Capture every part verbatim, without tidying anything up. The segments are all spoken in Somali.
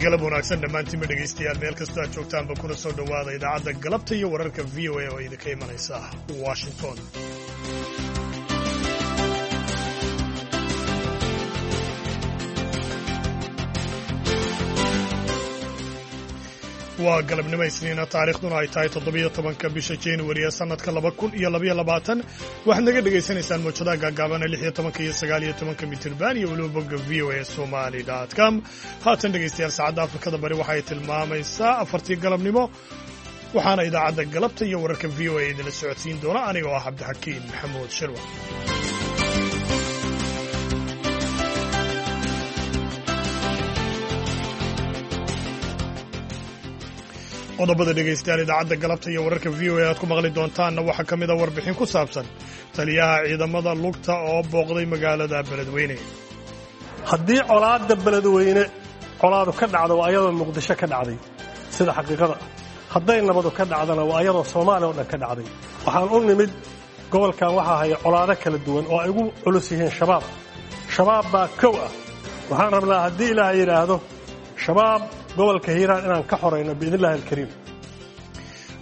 Galab wanaagsan dhammaantiinba dhegaystayaal, meel kastoo aad joogtaanba, kuna soo dhowaada idaacadda galabta iyo wararka V O A oo idinka imanaysa Washington. Waa galabnimo Isniina, taariikhduna ay tahay toddobiyo tobanka bisha Januari ee sanadka laba kun iyo labaiyo labaatan. Waxaad naga dhegaysanaysaan mowjadaha gaagaabana lix iyo tobanka iyo sagaal iyo tobanka mitirban iyo weliba bogga V O A Somali com. Haatan, dhegaystayaal, saacadda Afrikada Bari waxay tilmaamaysaa afartii galabnimo, waxaana idaacadda galabta iyo wararka V O A idinla socodsiin doona anigoo ah Cabdixakiin Maxamuud Shirwa. Qodobada, dhegaystayaal, idaacadda galabta iyo wararka V O A aad ku maqli doontaanna waxaa ka mid a warbixin ku saabsan taliyaha ciidamada lugta oo booqday magaalada Beledweyne. Haddii colaadda Beledweyne colaadu ka dhacdo, waa ayadoo Muqdisho ka dhacday sida xaqiiqada. Hadday nabadu ka dhacdana, waa ayadoo Soomaaliya oo dhan ka dhacday. Waxaan u nimid gobolkan waxaa haya colaado kala duwan oo ay ugu culus yihiin Shabaab. Shabaab baa kow ah. Waxaan rabnaa, haddii Ilaahay yidhaahdo, Shabaab gobolka Hiiraan inaan ka xorayno, biidn illahi alkariim.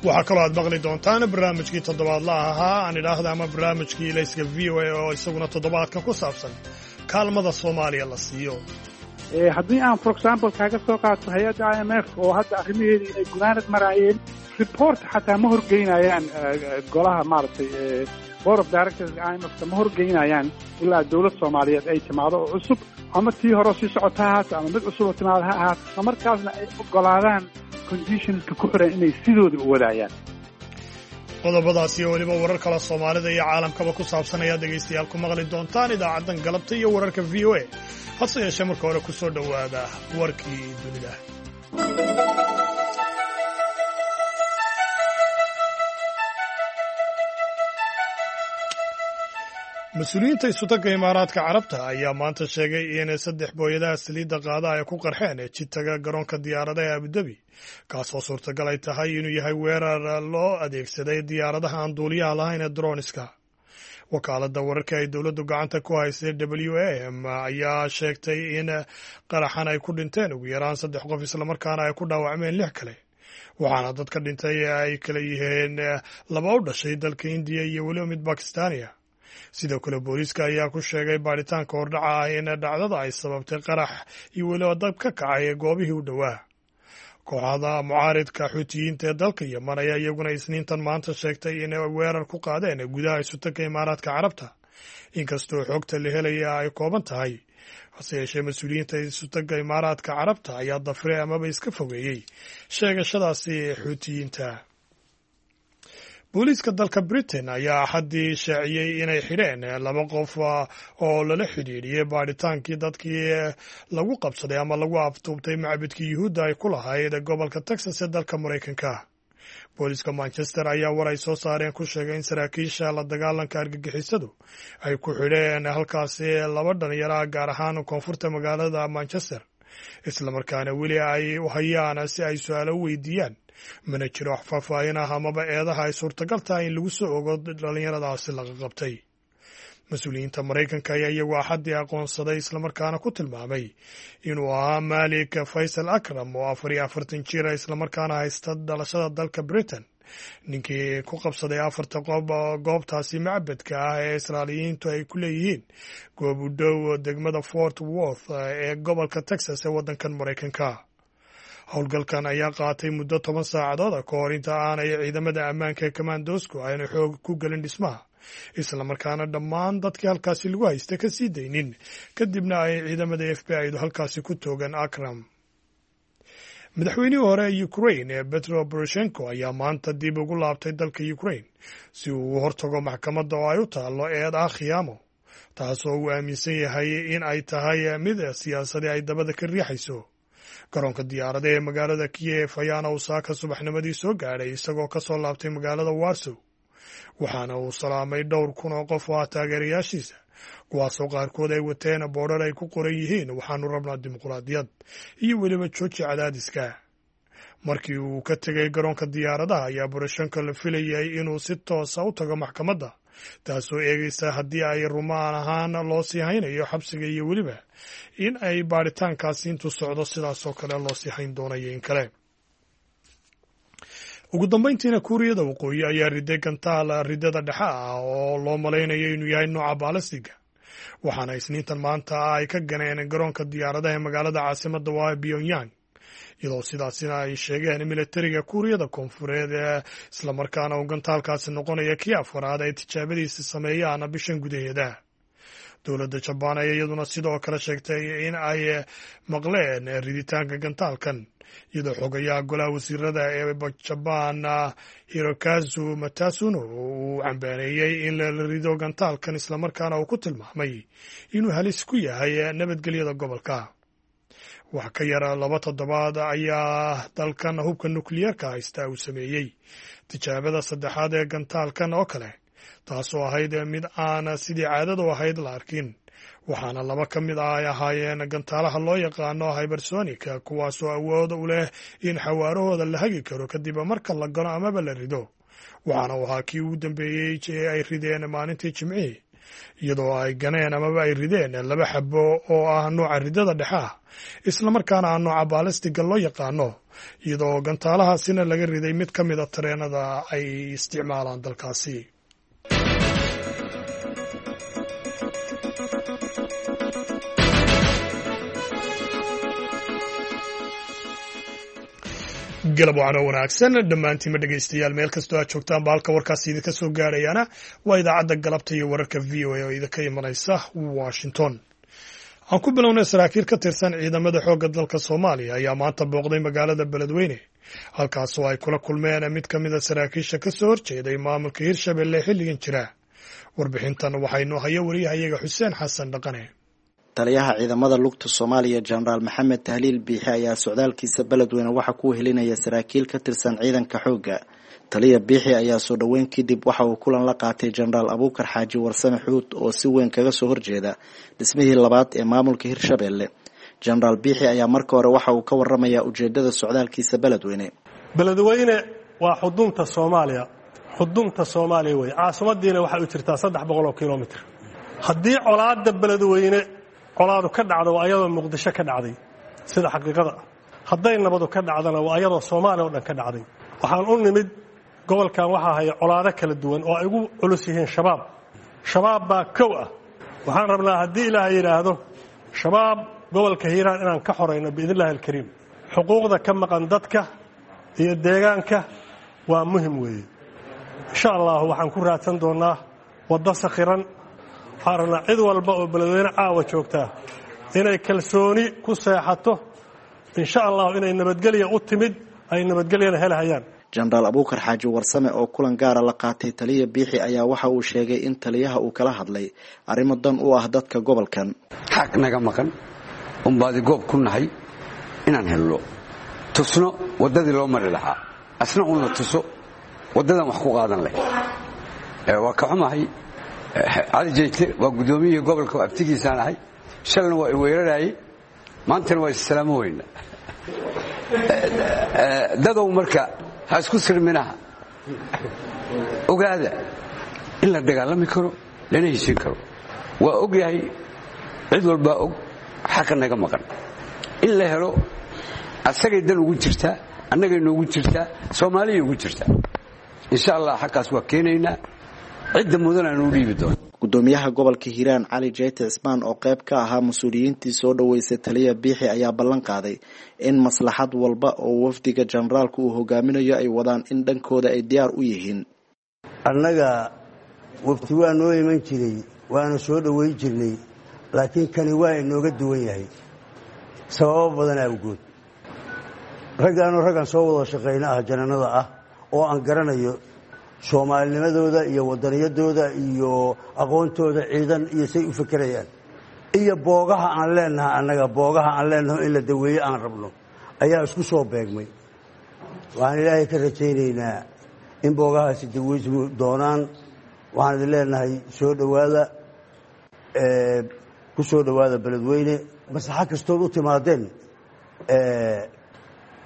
Waxaa kaloo aad maqli doontaan barnaamijkii toddobaadla ahaa, aan idhaahda, ama barnaamijkii Ilayska V O A oo isaguna toddobaadka ku saabsan kaalmada Soomaaliya la siiyo. Haddii aan, for example, kaaga soo qaato hay'adda I M F oo hadda arrimaheedii ay gunaanad maraayeen, report xataa ma horgeynayaan golaha, maaragtay, board of directors I M F ka ma horgeynayaan ilaa dowlad Soomaaliyeed ay timaado oo cusub, ama tii hore sii socota ha ahaato ama mid cusub oo timaado ha ahaato, isla markaasna ay ogolaadaan conditionska ku xiran inay sidooda u wadaayaan. Qodobadaasi oo weliba warar kale Soomaalida iyo caalamkaba ku saabsan ayaad, dhegaystayaal, ku maqli doontaan idaacaddan galabta iyo wararka V O A. Hase yeeshee, marka hore ku soo dhowaada warkii dunida. Mas-uuliyiinta Isutagga Imaaraadka Carabta ayaa maanta sheegay in saddex booyadaha saliidda qaada ay ku qarxeen jidtaga garoonka diyaaradaha ee Abudabi, kaasoo suurtagal ay tahay inuu yahay weerar loo adeegsaday diyaaradaha aan duuliyaha lahayn ee droniska. Wakaaladda wararka ay dowladdu gacanta ku haysay W A M ayaa sheegtay in qaraxan ay ku dhinteen ugu yaraan saddex qof, islamarkaana ay ku dhaawacmeen lix kale, waxaana dadka dhintay ay kala yihiin laba u dhashay dalka Indiya iyo weliba mid Bakistaaniya. Sidoo kale, booliiska ayaa ku sheegay baaritaanka hordhaca ah in dhacdada ay sababtay qarax iyo weliba dab ka kacay goobihii u dhowaa. Kooxda mucaaridka Xuutiyiinta ee dalka Yeman ayaa iyaguna Isniintan maanta sheegtay inay weerar ku qaadeen gudaha Isutagga Imaaraadka Carabta, inkastoo xogta la helaya ay kooban tahay. Hase yeeshee, mas-uuliyiinta Isutagga Imaaraadka Carabta ayaa dafre amaba iska fogeeyey sheegashadaasi Xuutiyiinta. Booliiska dalka Britain ayaa Axaddii shaaciyey inay xidheen laba qof oo lala xidhiidhiyey baadhitaankii dadkii lagu qabsaday ama lagu aftuubtay macbadkii Yuhuudda ay ku lahayd gobolka Texas ee dalka Maraykanka. Booliiska Manchester ayaa war ay soo saareen ku sheegay in saraakiisha la dagaalanka argagixisadu ay ku xidheen halkaasi laba dhalinyaro, gaar ahaan koonfurta magaalada Manchester, islamarkaana weli ay u hayaan si ay su-aalo u weydiiyaan. Mana jiro wax faahfaahin ah amaba eedaha ay suurtagal tahay in lagu soo ogo dhalinyaradaasi laga qabtay. Mas-uuliyiinta Maraykanka ayaa iyagu Axaddii aqoonsaday, islamarkaana ku tilmaamay inuu ahaa Malik Faysal Akram oo afar iyo afartan jira, islamarkaana haysta dhalashada dalka Britain, ninkii ku qabsaday afarta qof goobtaasi macbadka ah ee Israaliyiintu ay ku leeyihiin goob u dhow degmada Fort Worth ee gobolka Texas ee waddankan Maraykanka. Howlgalkan ayaa qaatay muddo toban saacadood ka hor inta aanay ciidamada ammaanka ee kamaandoosku aanay xoog ku gelin dhismaha, islamarkaana dhammaan dadkii halkaasi lagu haysta ka sii daynin, kadibna ay ciidamada F B I du halkaasi ku toogan Akram. Madaxweynihii hore ee Ukraine Petro Poroshenko ayaa maanta dib ugu laabtay dalka Ukraine si uu u hortago maxkamadda oo ay u taallo eed ah khiyaamo, taasoo uu aaminsan yahay in ay tahay mid siyaasadii ay dabada ka riixayso. Garoonka diyaarada ee magaalada Kiyef ayaana uu saaka subaxnimadii soo gaadhay, isagoo ka soo laabtay magaalada Warsow, waxaana uu salaamay dhowr kun oo qof oo ah taageerayaashiisa, kuwaasoo qaarkood ay wateen boodhar ay ku qoran yihiin "Waxaanu rabnaa dimuqraadiyad" iyo weliba "Jooji cadaadiska". Markii uu ka tegay garoonka diyaaradaha ayaa Poroshenko la filayay inuu si toosa u tago maxkamadda. taasoo eegaysa haddii ay rumaan ahaan loo sii haynayo xabsiga iyo weliba in ay baadhitaankaasi intuu socdo sidaasoo kale loo sii hayn doonayo in kale. Ugu dambayntiina, Kuuriyada Waqooyi ayaa riday gantaal ridada dhexe ah oo loo malaynayo inuu yahay nooca baalastiga, waxaana Isniintan maanta ay ka ganeen garoonka diyaaradaha ee magaalada caasimadda waa Pyongyang, iyadoo sidaasina ay sheegeen militariga Kuuriyada Koonfureed, islamarkaana uu gantaalkaasi noqonaya kii afaraad ay tijaabadiisa sameeyaan bishan gudaheeda. Dowladda Jabaan ayaa iyaduna sidoo kale sheegtay in ay maqleen riditaanka gantaalkan, iyadoo xogayaha golaha wasiirada ee Jabaan Hirokazu Matasuno uu cambaareeyey in la rido gantaalkan, islamarkaana uu ku tilmaamay inuu halis ku yahay nabadgelyada gobolka. Wax ka yar laba toddobaad ayaa dalkan hubka nukliyeerka haysta uu sameeyey tijaabada saddexaad ee gantaalkan oo kale, taasoo ahayd mid aan sidii caadadu ahayd la arkin, waxaana laba ka mid ah ay ahaayeen gantaalaha loo yaqaano hypersonica, kuwaasoo awood u leh in xawaarahooda la hagi karo kadib marka la gano amaba la rido. Waxaana uu ahaa kii ugu dambeeyey ee ay rideen maalintii Jimcihii, iyadoo ay ganeen amaba ay rideen laba xabo oo ah nooca ridada dhexe ah, islamarkaana ah nooca baalistiga loo yaqaano, iyadoo gantaalahaasina laga riday mid ka mida tareenada ay isticmaalaan dalkaasi. Galab wacno wanaagsan dhammaantiinma dhegaystayaal, meel kastoo aad joogtaan ba. Halka warkaasi idinka soo gaarayaana waa idaacadda galabta iyo wararka V O A oo idinka imanaysa Washington. Aan ku bilownay, saraakiil ka tirsan ciidamada xoogga dalka Soomaaliya ayaa maanta booqday magaalada Beledweyne, halkaasoo ay kula kulmeen mid ka mid a saraakiisha ka soo horjeeday maamulka Hirshabelle xilligan jira. Warbixintan waxaynoo haya wariyahayaga Xuseen Xasan Dhaqane. Taliyaha ciidamada lugta Soomaaliya, Jenaraal Maxamed Tahliil Biixi, ayaa socdaalkiisa Beledweyne waxa ku helinaya saraakiil ka tirsan ciidanka xoogga. Taliya Biixi ayaa soo dhoweyn kadib waxa uu kulan la qaatay Jenaraal Abuukar Xaaji Warsame Xuud oo si weyn kaga soo horjeeda dhismihii labaad ee maamulka Hirshabelle. Jenaraal Biixi ayaa marka hore waxa uu ka waramayaa ujeedada socdaalkiisa Beledweyne. Beledweyne waa xudunta Soomaaliya, xudunta Soomaaliya wey. Caasimadiina waxay u jirtaa saddex boqol oo kilomitr. Haddii colaadda Beledweyne colaadu ka dhacdo, waa ayadoo Muqdisho ka dhacday sida xaqiiqada ah. Hadday nabadu ka dhacdana, waa ayadoo Soomaaliya oo dhan ka dhacday. Waxaan u nimid gobolkan waxaa haya colaado kala duwan oo ay ugu culus yihiin Shabaab. Shabaab baa kow ah. Waxaan rabnaa, haddii Ilaahay yidhaahdo, Shabaab gobolka Hiiraan inaan ka xorayno biidni illahi alkariim. Xuquuqda ka maqan dadka iyo deegaanka waa muhim weeye. Insha Allahu waxaan ku raadsan doonnaa waddo sakhiran. Waxaan rabnaa cid walba oo Beledweyne caawa joogtaa inay kalsooni ku seexato, insha Allahu, inay nabadgelya u timid, ay nabadgelyana helahayaan. Jenaraal Abuukar Xaaji Warsame oo kulan gaara la qaatay taliya Biixi ayaa waxa uu sheegay in taliyaha uu kala hadlay arrimo dan u ah dadka gobolkan. Xaq naga maqan unbaadi goob ku nahay inaan helno, tusno waddadii loo mari lahaa, asna uuna tuso waddadan wax ku qaadan leh. Waa ka xumahay, Cali Jeyte waa guddoomiyihii gobolka, abtigiisaan ahay. Shalna waa i weeraraayey, maantana waa issalaamo weyna. Dadow marka ha isku sirminaha, ogaada in la dagaalami karo lana heshin karo. Waa og yahay, cid walbaa og xaqa naga maqan in la helo. Asagay dan ugu jirtaa, annagay noogu jirtaa, Soomaaliyay ugu jirtaa. Insha Allah xaqaas waa keenaynaa, cidda mudan aanu u dhiibi doono. Gudoomiyaha gobolka Hiiraan Cali Jeyte Cismaan oo qayb ka ahaa mas-uuliyiintii soo dhoweysay taliya Biixi ayaa ballan qaaday in maslaxad walba oo wafdiga jenaraalku uu hogaaminayo ay wadaan in dhankooda ay diyaar u yihiin. Annaga wafti waa noo iman jiray, waana soo dhoweyn jirnay, laakiin kani waa inooga duwan yahay sababo badan awgood. Raggaanoo raggan soo wada shaqayna ah, jananada ah oo aan garanayo soomaalinimadooda iyo wadaniyadooda iyo aqoontooda ciidan iyo say u fekerayaan iyo boogaha aan leenaha, annaga boogaha aan leenaho in la daweeye aan rabno ayaa isku soo beegmay. Waxaan Ilaahay ka rajaynaynaa in boogahaasi daweysmu doonaan. Waxaan idin leenahay soo dhowaada, ku soo dhowaada Beledweyne. Maslaxo kastood u timaadeen,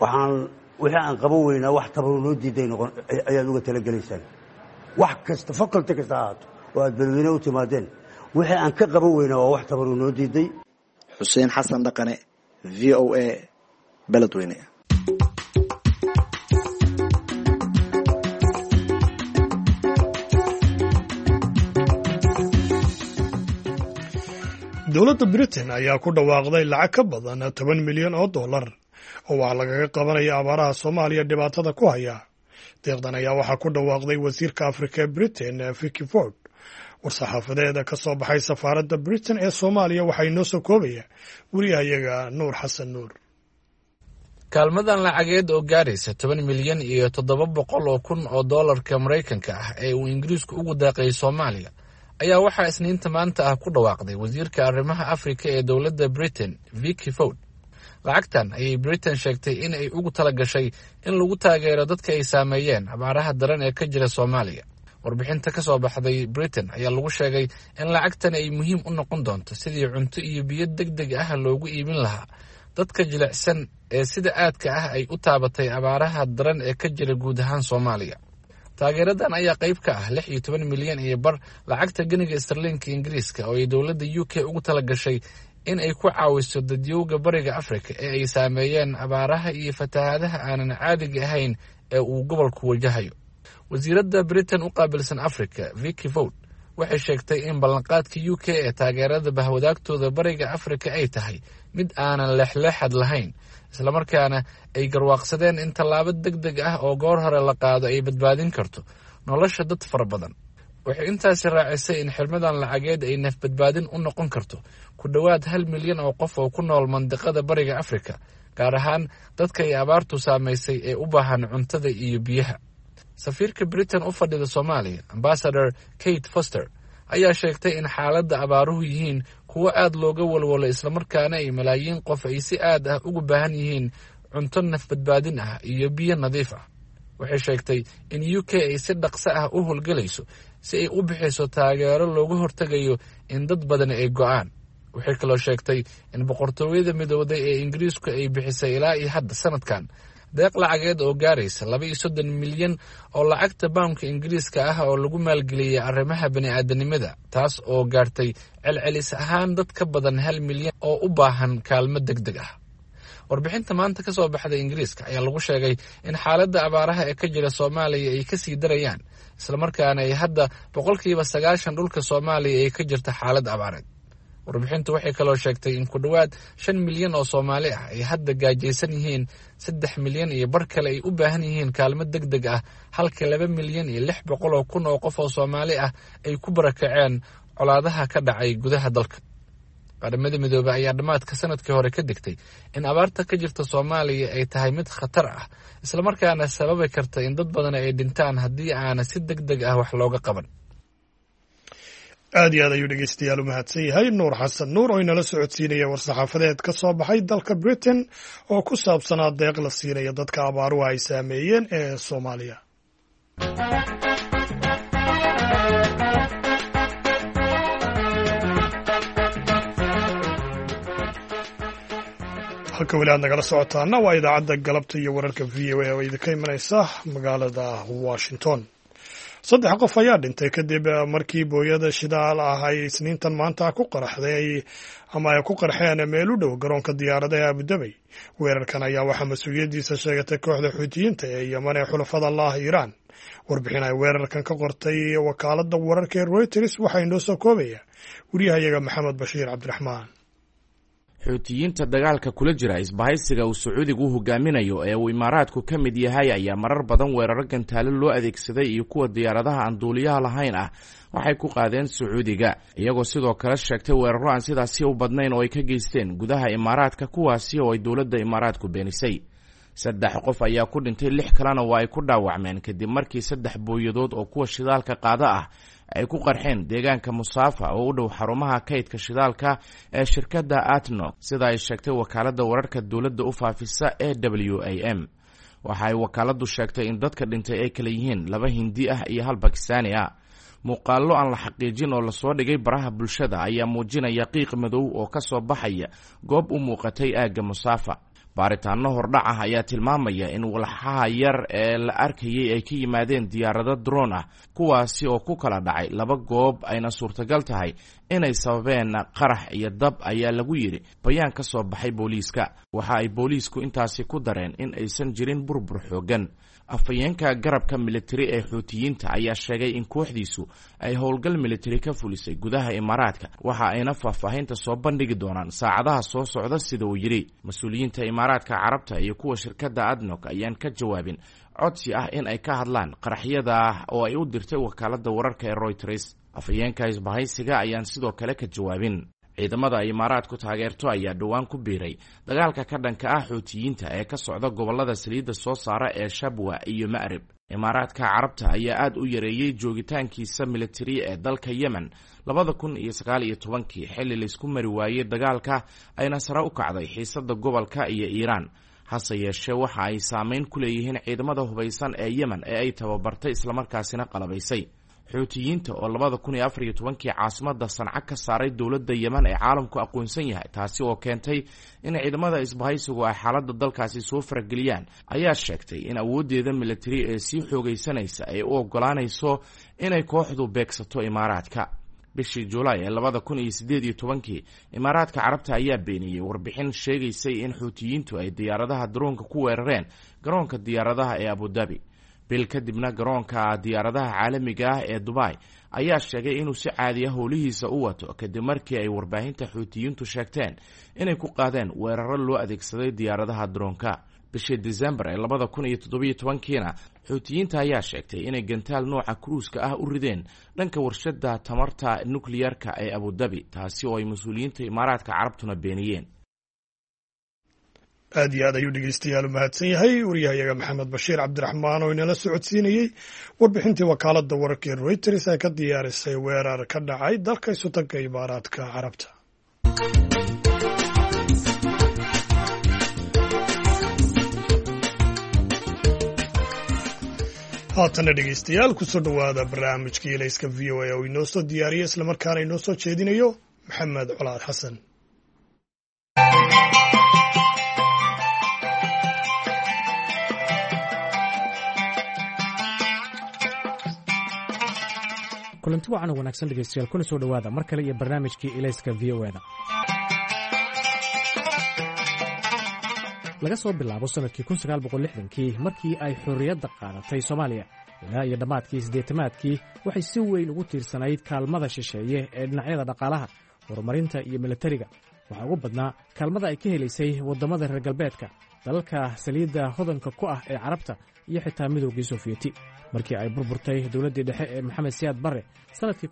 waxaan wixii aan qaban weynaa wax tabaru noo diiday noqon ayaad uga talagelaysaan. Wax kasta, faculty kasta ha ahaato, oo aad Beledweyne u timaadeen. Wixii aan ka qaban weyna waa wax tabaruu noo diiday. Xuseen Xasan Dhaqane, V O A, Beledweyne. Dowladda Britain ayaa ku dhawaaqday lacag ka badan toban milyan oo dollar oo waxaa lagaga qabanaya abaaraha Soomaaliya dhibaatada ku haya. Deeqdan ayaa waxaa ku dhawaaqday wasiirka Afrika ee Britain, Vicky Ford. War-saxaafadeeda ka soo baxay safaaradda Britain ee Soomaaliya waxaa inoo soo koobaya wariyahayaga Nuur Xasan Nuur. Kaalmadan lacageed oo gaaraysa toban milyan iyo toddoba boqol oo kun oo doolarka Maraykanka ah ee uu Ingiriisku ugu deeqay Soomaaliya ayaa waxaa Isniinta maanta ah ku dhawaaqday wasiirka arrimaha Afrika ee dowladda Britain, Vicky Ford. Lacagtan ayay Britain sheegtay in ay ugu tala gashay in lagu taageero dadka ay saameeyeen abaaraha daran ee ka jira Soomaaliya. Warbixinta ka soo baxday Britain ayaa lagu sheegay in lacagtan ay muhiim u noqon doonto sidii cunto iyo biyo deg deg ah loogu iibin lahaa dadka jilicsan ee sida aadka ah ay u taabatay abaaraha daran ee ka jira guud ahaan Soomaaliya. Taageeradan ayaa qayb ka ah lix iyo toban milyan iyo bar lacagta geniga istarliinka Ingiriiska oo ay dowladda U K ugu tala gashay in ay ku caawiso dadyowga bariga Afrika ee ay saameeyeen abaaraha iyo fatahaadaha aanan caadiga ahayn ee uu gobolku wajahayo. Wasiiradda Britain u qaabilsan Afrika, Vicky Ford, waxay sheegtay in ballanqaadka U K ee taageerada bahwadaagtooda bariga Afrika ay tahay mid aanan leexleexad lahayn, islamarkaana ay garwaaqsadeen in tallaabo deg deg ah oo goor hore la qaado ay badbaadin karto nolosha dad fara badan. Waxay intaasi raacisay in xirmadan lacageed ay nafbadbaadin u noqon karto ku dhowaad hal milyan oo qof oo ku nool mandiqada bariga Afrika, gaar ahaan dadka ay abaartu saamaysay ee u baahan cuntada iyo biyaha. Safiirka Britain u fadhida Soomaaliya, Ambassador Kate Foster, ayaa sheegtay in xaaladda abaaruhu yihiin kuwo aad looga walwalo, islamarkaana ay malaayiin qof ay si aad ah ugu baahan yihiin cunto nafbadbaadin ah iyo biyo nadiif ah. Waxay sheegtay in U K ay si dhaqso ah u howlgelayso si ay u bixiso taageero looga hortegayo in dad badan ay go'aan. Waxay kaloo sheegtay in boqortooyada midowday ee Ingiriisku ay bixisay ilaa iyo hadda sanadkan deeq lacageed oo gaaraysa laba iyo soddon milyan oo lacagta baamka Ingiriiska ah oo lagu maalgeliyey arrimaha bani'aadanimada, taas oo gaartay celcelis ahaan dad ka badan hal milyan oo u baahan kaalmo deg deg ah. Warbixinta maanta ka soo baxday Ingiriiska ayaa lagu sheegay in xaaladda abaaraha ee ka jira Soomaaliya ay kasii darayaan, islamarkaana ay hadda boqolkiiba sagaashan dhulka Soomaaliya ay ka jirta xaalad abaareed. Warbixintu waxay kaloo sheegtay in ku dhowaad shan milyan oo Soomaali ah ay hadda gaajaysan yihiin, saddex milyan iyo bar kale ay u baahan yihiin kaalmo deg deg ah, halka laba milyan iyo lix boqol oo kun oo qof oo Soomaali ah ay ku barakaceen colaadaha ka dhacay gudaha dalka. Qaramada Midoobey ayaa dhammaadka sanadkii hore ka digtay in abaarta ka jirta Soomaaliya ay tahay mid khatar ah, islamarkaana sababi karta in dad badan ay dhintaan haddii aana si deg deg ah wax looga qaban. Aad iyo aad ayuu dhegeystayaal u mahadsan yahay Nuur Xasan Nuur oo inala socodsiinaya war-saxaafadeed ka soo baxay dalka Britain oo ku saabsanaa deeq la siinaya dadka abaaruhu ay saameeyeen ee Soomaaliya. Halka weli aad nagala socotaana waa idaacadda galabta iyo wararka V O A oo idinka imanaysa magaalada Washington. Saddex qof ayaa dhintay kadib markii booyada shidaal ah ay Isniintan maanta ku qaraxday ama ay ku qarxeen meel u dhow garoonka diyaaradaha ee Abudabay. Weerarkan ayaa waxaa mas-uuliyaddiisa sheegatay kooxda Xuutiyiinta ee Yeman ee xulafada laah Iiraan. Warbixin ay weerarkan ka qortay wakaaladda wararka ee Reuters waxaa inoo soo koobaya wariyahayaga Maxamed Bashiir Cabdiraxmaan. Xuutiyiinta dagaalka kula jira isbahaysiga uu Sacuudigu u hogaaminayo ee uu Imaaraadku ka mid yahay ayaa marar badan weeraro gantaalo loo adeegsaday iyo kuwa diyaaradaha aan duuliyaha lahayn ah waxay ku qaadeen Sacuudiga, iyagoo sidoo kale sheegtay weeraro aan sidaasi u badnayn oo ay ka geysteen gudaha Imaaraadka, kuwaasi oo ay dowladda Imaaraadku beenisay. Saddex qof ayaa ku dhintay, lix kalena waa ay ku dhaawacmeen kadib markii saddex booyadood oo kuwa shidaalka qaada ah ay ku qarxeen deegaanka Musaafa oo u dhow xarumaha kaydka shidaalka ee shirkadda Atnog, sida ay sheegtay wakaaladda wararka dowladda u faafisa ee W A M. Waxa ay wakaaladdu sheegtay in dadka dhintay ay kala yihiin laba Hindi ah iyo hal Bakistaani ah. Muuqaallo aan la xaqiijin oo lasoo dhigay baraha bulshada ayaa muujinaya qiiq madow oo ka soo baxaya goob u muuqatay aagga Musaafa. Baaritaano hordhac ah ayaa tilmaamaya in walxaha yar ee la arkayay ay ka yimaadeen diyaarado droon ah, kuwaasi oo ku kala dhacay laba goob, ayna suurtagal tahay inay sababeen qarax iyo dab, ayaa lagu yidhi bayaan ka soo baxay booliiska. Waxa ay booliisku intaasi ku dareen in aysan jirin burbur xooggan. Afhayeenka garabka militari ee Xuutiyiinta ayaa sheegay in kooxdiisu ay howlgal militari ka fulisay gudaha Imaaraadka, waxa ayna faahfaahinta soo bandhigi doonaan saacadaha soo socda, sida uu yidhi. Mas-uuliyiinta Imaaraadka Carabta iyo kuwa shirkadda ADNOC ayaan ka jawaabin codsi ah in ay ka hadlaan qaraxyada oo ay u dirtay wakaaladda wararka ee Reuters. Afhayeenka isbahaysiga ayaan sidoo kale ka jawaabin. Ciidamada ay Imaaraadku taageerto ayaa dhowaan ku biiray dagaalka ka dhanka ah Xuutiyiinta ee ka socda gobollada saliidda soo saara ee Shabwa iyo Ma'rib. Imaaraadka Carabta ayaa aad u yareeyey joogitaankiisa militari ee dalka Yemen labada kun iyo sagaal iyo tobankii, xilli laysku mari waayey dagaalka ayna sare u kacday xiisadda gobolka iyo Iiraan. Hase yeeshee, waxa ay saameyn ku leeyihiin ciidamada hubaysan ee Yemen ee ay tababartay islamarkaasina qalabaysay. Xuutiyiinta oo labada kun iyo afar iyo tobankii caasimada Sanca ka saaray dowladda Yemen ee caalamku aqoonsan yahay, taasi oo keentay in ciidamada isbahaysigu ay xaaladda dalkaasi soo farageliyaan, ayaa sheegtay in awooddeeda militari ee sii xoogaysanaysa ay u oggolaanayso inay kooxdu beegsato Imaaraadka. Bishii Julaay ee labada kun iyo siddeed iyo tobankii, Imaaraadka Carabta ayaa beeniyey warbixin sheegaysay in Xuutiyiintu ay diyaaradaha daroonka ku weerareen garoonka diyaaradaha ee Abudabi. Bil kadibna, garoonka diyaaradaha caalamiga ah ee Dubai ayaa sheegay inuu si caadiya howlihiisa u wato, kadib markii ay warbaahinta Xuutiyiintu sheegteen inay ku qaadeen weeraro loo adeegsaday diyaaradaha daroonka. Bishii Disembar ee labada kun iyo toddobiyo tobankiina, Xuutiyiinta ayaa sheegtay inay gantaal nooca kruuska ah u rideen dhanka warshadda tamarta nukliyarka ee Abudabi, taasi oo ay mas-uuliyiinta Imaaraadka Carabtuna beeniyeen. Aad iyo aad ayuu dhegeystayaal u mahadsan yahay wariyahayaga Maxamed Bashiir Cabdiraxmaan oo inala socodsiinayey warbixintii wakaaladda wararka ee Reuters ay ka diyaarisay weerar ka dhacay dalka Isutanka Imaaraadka Carabta. Haatanna dhegeystayaal, kusoo dhowaada barnaamijkii Ilayska V O A oo inoo soo diyaariyay islamarkaana inoo soo jeedinayo Maxamed Colaad Xasan. Kulanti wacan oo wanaagsan dhegeystayaal, kuna soo dhowaada mar kale iyo barnaamijkii Ilayska V O eda. Laga soo bilaabo sannadkii kii markii ay xorriyadda qaadatay Soomaaliya ilaa iyo dhammaadkii siddeetamaadkii, waxay si weyn ugu tiirsanayd kaalmada shisheeye ee dhinacyada dhaqaalaha, horumarinta iyo milatariga. Waxaa ugu badnaa kaalmada ay ka helaysay waddamada reer galbeedka, dalalka saliidda hodanka ku ah ee Carabta iyo xitaa Midoogii Sofiyeeti. Markii ay burburtay dowladdii dhexe ee Maxamed Siyaad Barre sannadkii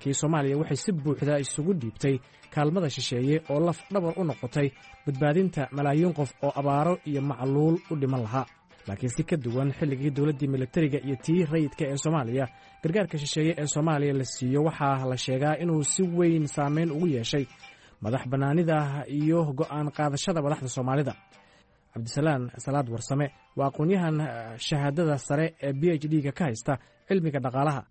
kii, Soomaaliya waxay si buuxda isugu dhiibtay kaalmada shisheeye oo laf dhabar u noqotay badbaadinta malaayiin qof oo abaaro iyo macluul u dhiman lahaa. Laakiin si ka duwan xilligii dowladdii milatariga iyo tii rayidka ee Soomaaliya, gargaarka shisheeye ee Soomaaliya la siiyo waxaa la sheegaa inuu si weyn saameyn ugu yeeshay madax bannaanida iyo go'aan qaadashada madaxda Soomaalida. Cabdisalaan Salaad Warsame waa aqoon-yahan shahaadada sare ee B H D-ga ka haysta cilmiga dhaqaalaha,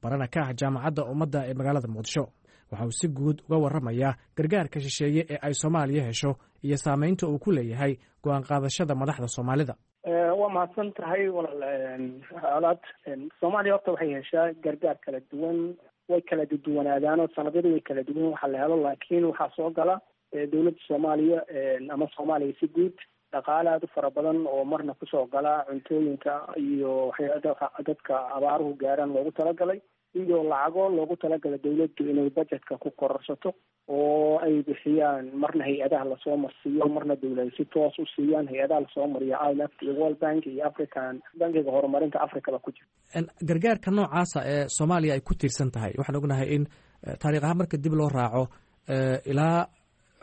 barana ka ah Jaamacadda Ummadda ee magaalada Muqdisho. Waxa uu si guud uga warramayaa gargaarka shisheeye ee ay Soomaaliya hesho iyo saameynta uu ku leeyahay go'aan qaadashada madaxda Soomaalida. Waa mahadsan tahay walaal Colaad. Soomaaliya horta waxay heshaa gargaar kala duwan, way kala duwanaadaanoo sanadyadu way kala duwan waxa la helo, laakiin waxaa soo gala dowladda Soomaaliya ama Soomaaliya si guud dhaqaale aada u fara badan oo marna kusoo gala cuntooyinka iyo waxyaa dadka abaaruhu gaaraan loogu talagalay, iyo lacago loogu talagalay dowladdu inay budgetka ku kororsato oo ay bixiyaan, marna hay-adaha lasoo marsiiyo, marna dowlada si toos u siiyaan. Hay-adaha lasoo mariyo I M F iyo World Bank iyo African Bankiga Horumarinta Africaba ku jira. Gargaarka noocaasa ee Soomaaliya ay ku tiirsan tahay, waxaan ognahay in taariikh ahaan marka dib loo raaco ilaa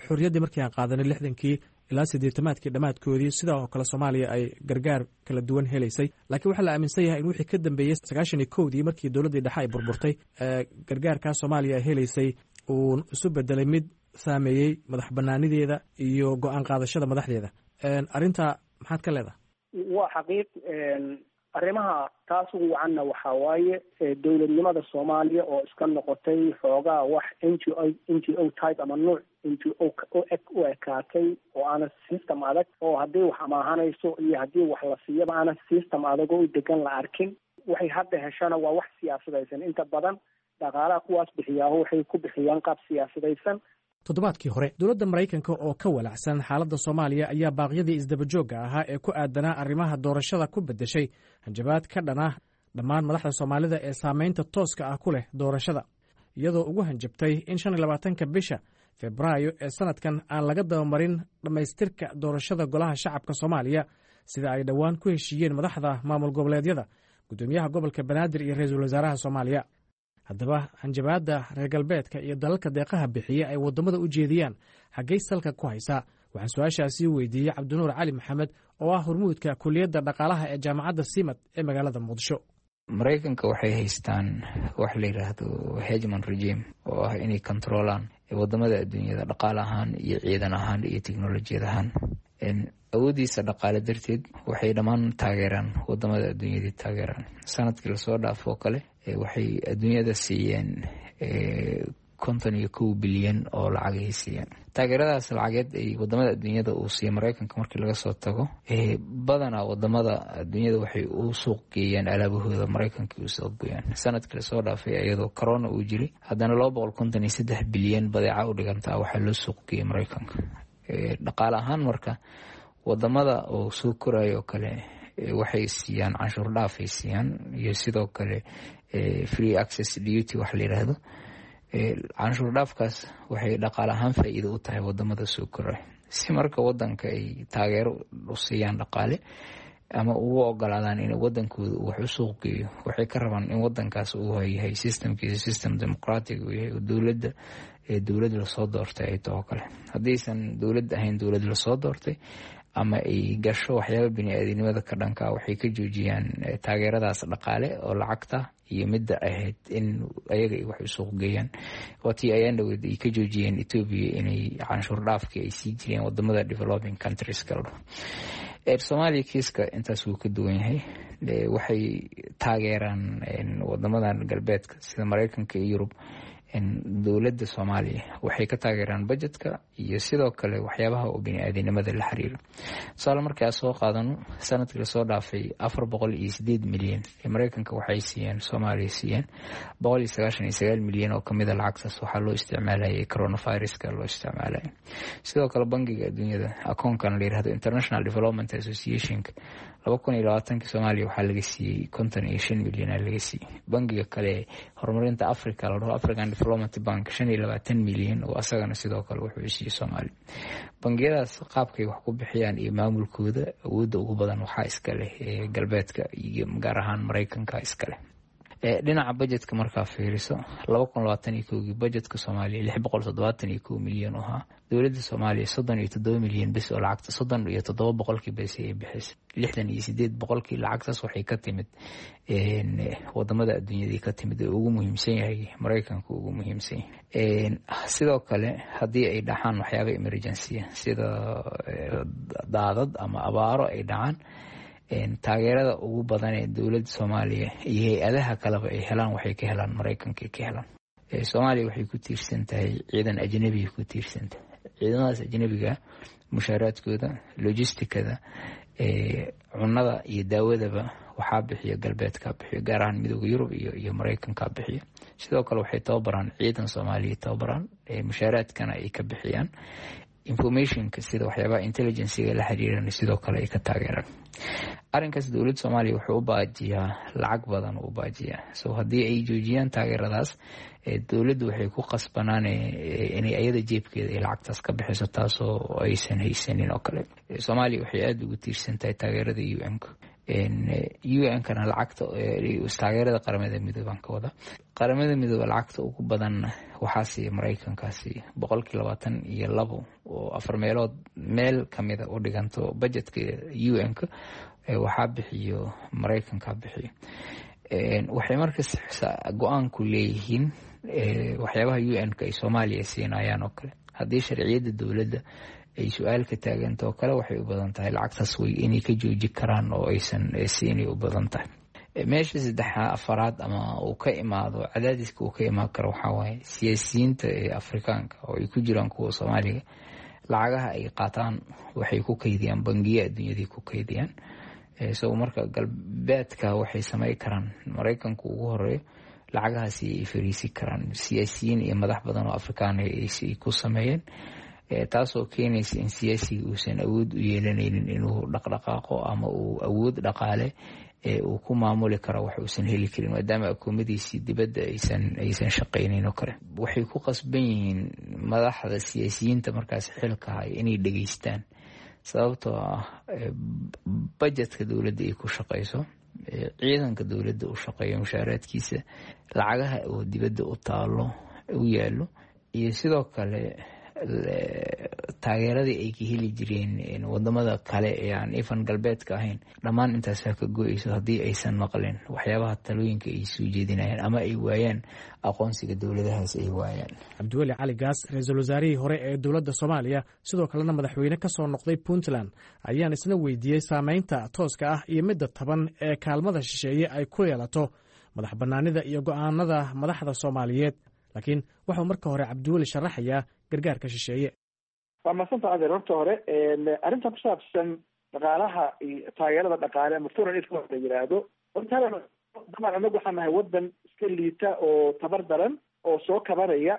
xorriyaddii markii aan qaadanay lixdankii ilaa siddeetamaadkii dhammaadkoodii, sidaa oo kale Soomaaliya ay gargaar kala duwan helaysay. Laakiin waxaa la aaminsan yahay in wixii ka dambeeyey sagaashan iyo kowdii markii dowladdii dhexe ay burburtay, gargaarkaa Soomaaliya ay helaysay uu isu bedelay mid saameeyey madax banaanideeda iyo go-aan qaadashada madaxdeeda. Arrintaa maxaad ka leedahay? Waa xaqiiq. Arrimaha taas ugu wacanna waxaa waaye dowladnimada Soomaaliya oo iska noqotay xoogaa wax n g o n g o type ama nuuc n g o u eg u ekaatay, oo aana system adag oo haddii wax amaahanayso iyo haddii wax la siiyaba aana system adag oo u degan la arkin. Waxay hadda heshana waa wax siyaasadaysan, inta badan dhaqaalaha kuwaas bixiyaahu waxay ku bixiyaan qaab siyaasadaysan. Toddobaadkii hore dowladda Maraykanka oo ka walacsan xaaladda Soomaaliya ayaa baaqyadii isdabajoogga ahaa ee ku aadanaa arrimaha doorashada ku beddeshay hanjabaad ka dhana dhammaan madaxda Soomaalida ee saamaynta tooska ah ku leh doorashada, iyadoo ugu hanjabtay in shan iyo labaatanka bisha Febraayo ee sanadkan aan laga dabamarin dhammaystirka doorashada Golaha Shacabka Soomaaliya, sida ay dhowaan ku heshiiyeen madaxda maamul goboleedyada, guddoomiyaha gobolka Banaadir iyo ra-iisul wasaaraha Soomaaliya. Haddaba hanjabaadda reer galbeedka iyo dalalka deeqaha bixiya ay waddamada u jeediyaan xaggay salka ku haysaa? Waxaan su-aashaasi weydiiyey Cabdinuur Cali Maxamed oo ah hormuudka kuliyadda dhaqaalaha ee Jaamacadda Simad ee magaalada Muqdisho. Maraykanka waxay haystaan wax la yidhaahdo hegemon regime, oo ah inay kontroolaan wadamada adduunyada dhaqaale ahaan iyo ciidan ahaan iyo teknolojiyad ahaan. Awoodiisa dhaqaale darteed waxay dhammaan taageeraan wadamada adduunyadii taageeraan. Sanadkii lasoo dhaafoo kale waxay adduunyada siiyeen konton iyo kow bilyan oo lacagay siiyeen. Taageeradaas lacageed ay wadamada adduunyada uu siiya Mareykanka markii laga soo tago, badanaa wadamada adduunyada waxay u suuq geeyaan alaabahooda Mareykanka u suuq geeyaan. Sanadkii lasoo dhaafay, iyadoo corona uu jiray, haddana laba boqol konton iyo saddex bilyan badeeca u dhigantaa waxaa loo suuq geeyay Mareykanka. Dhaqaale ahaan marka wadamada oo soo korayo oo kale waxay siiyaan canshuur dhaafay siiyaan iyo sidoo kale free access duty wax la yiraahdo. Canshuur dhaafkaas waxay dhaqaale ahaan faa-iido u tahay wadamada soo koraya. Si marka wadanka ay taageero u siiyaan dhaqaale ama ugu ogolaadaan in wadankooda uu wax u suuq geeyo, waxay ka rabaan in wadankaas uu yahay systemkiisa system democratic uu yahay, oo dowladda dowlad lasoo doortay ay taho kale. Haddaysan dowlad ahayn dowlad lasoo doortay ama ay gasho waxyaaba bini-aadinimada ka dhanka, waxay ka joojiyaan taageeradaas dhaqaale oo lacagta iyo midda ahayd in ayaga ay wax u suuq geeyaan. Waatii ayaan dhaweyd ay ka joojiyeen Etoobiya inay canshuur dhaafkii ay sii jireen wadamada developing countries kala dhaho. Soomaaliya kiiska intaas wuu ka duwan yahay. Waxay taageeraan wadamadan galbeedka sida Mareykanka iyo Yurub dowladda Soomaaliya, waxay ka taageeraan budgetka iyo sidoo kale waxyaabaha oo bini-aadinimada la xiriiro. Tusaale markii soo qaadano, sanadkii lasoo dhaafay afar boqol iyo sideed milyan ee Mareykanka waxay siiyeen Soomaaliya siiyeen boqol iyo sagaashan iyo sagaal milyan oo kamida lacagtaas waxaa loo isticmaalayay coronaviruska loo isticmaalayay. Sidoo kale Bangiga Adduunyada akoonkan la yirahdo International Development Associationka laba kun iyo labaatankii Soomaaliya waxaa laga siiyey konton iyo shan milyan aa laga siiyey. Bangiga kale horumarinta Africa la dhaho African Development Bank shan iyo labaatan milyan oo asagana sidoo kale wuxuu siiyey Soomaaliya. Bangiyadaas qaabkay wax ku bixiyaan iyo maamulkooda awoodda ugu badan waxaa iska leh galbeedka iyo gaar ahaan Mareykanka iska leh. Dhinaca budgetka markaa fiiriso, laba kun labaatan iyo kowgii budgetka Soomaaliya lix boqol toddobaatan iyo kow milyan u ahaa. Dowladda Soomaaliya soddon iyo toddoba milyan bes oo lacagta soddon iyo toddoba boqolkii bes ay bixisay. Lixdan iyo sideed boqolkii lacagtaas waxay ka timid wadamada adduunyadii ka timid ee ugu muhiimsan yahay Mareykanka ugu muhiimsan yahay. Sidoo kale haddii ay dhacaan waxyaaba emergency sida daadad ama abaaro ay dhacaan, taageerada ugu badan ee dowladda Soomaaliya iyo hay-adaha kaleba ay helaan waxay ka helaan Mareykanka ka helaan. Soomaaliya waxay ku tiirsan tahay ciidan ajnabiga ku tiirsan tahay. Ciidamadaas ajnabiga mushaaraadkooda, logisticada, cunada iyo daawadaba waxaa bixiya galbeedka bixiyo, gaar ahaan Midooda Yurub iyo iyo Mareykanka bixiyo. Sidoo kale waxay tababaraan ciidan Soomaaliya tababaraan, mushaaraadkana ay ka bixiyaan, informationka sida waxyaabaha intelligencega la xiriiran sidoo kale ay ka taageeraan. Arrinkaas dowladda Soomaaliya wuxuu u baajiyaa lacag badan u baajiyaa. So haddii ay joojiyaan taageeradaas, dowladdu waxay ku qasbanaan inay ayada jeebkeeda ay lacagtaas ka bixiso, taasoo aysan haysanin oo kale. Soomaaliya waxay aada ugu tiirsan tahay taageerada U N-ka, U N-kana lacagta taageerada Qaramada Midoobaan ka wada. Qaramada Midoobe lacagta ugu badan waxaa siiya Mareykankaasi, boqolkii labaatan iyo labo oo afar meelood meel kamida u dhiganto budgetka U N-ka waxaa bixiyo Mareykanka bixiyo. Waxay markas go-aanku leeyihiin waxyaabaha U N-ka ay Soomaaliya siinayaan oo kale. Haddii sharciyadda dowladda ay su-aal ka taagantao kale, waxay u badan tahay lacagtaas way inay ka jooji karaan oo aysan siinay u badan tahay. Meesha saddexa afaraad ama uu ka imaado cadaadiska uu ka imaan karo waxaa waaye siyaasiyiinta ee Afrikaanka oo ay ku jiraan kuwa Soomaaliga, lacagaha ay qaataan waxay ku kaydiyaan bangiya adduunyaday ku kaydiyaan. So marka galbeedka waxay samey karaan, Maraykanku ugu horeeyo, lacagahaasi ay fariisi karaan siyaasiyiin iyo madax badan oo Afrikaan ay ku sameeyeen, taasoo keenaysa in siyaasiga uusan awood u yeelanaynin inuu dhaqdhaqaaqo ama uu awood dhaqaale uu ku maamuli karo wax uusan heli karin, maadaama akoomadiisii dibadda aysan aysan shaqaynayn oo kale. Waxay ku qasban yihiin madaxda siyaasiyiinta markaas xilka haya inay dhegeystaan, sababtoo ah bajetka dowladda ay ku shaqayso, ciidanka dowladda u shaqeeyo mushaaraadkiisa, lacagaha oo dibadda u taalo u yaalo, iyo sidoo kale taageeradii ay ka heli jireen wadamada kale ee aan ifan galbeedka ahayn, dhammaan intaasaa ka go-eyso haddii aysan maqlin waxyaabaha talooyinka ay soo jeedinayaan ama ay waayaan aqoonsiga dowladahaas ay waayaan. Cabdiweli Cali Gaas, ra-iisul wasaarihii hore ee dowladda Soomaaliya, sidoo kalena madaxweyne ka soo noqday Puntland, ayaan isna weydiiyey saameynta tooska ah iyo midda taban ee kaalmada shisheeye ay ku yeelato madax bannaanida iyo go'aanada madaxda Soomaaliyeed. Laakiin wuxuu marka hore Cabdiweli sharaxayaa gargaarka shisheeye. Waa madsanta adeer. Horta hore arrintan ku saabsan dhaqaalaha iyo taageerada dhaqaale ama foreign aid la yidhaahdo, horta halan dabcan anagu waxaan nahay wadan iska liita oo tabar daran oo soo kabanaya,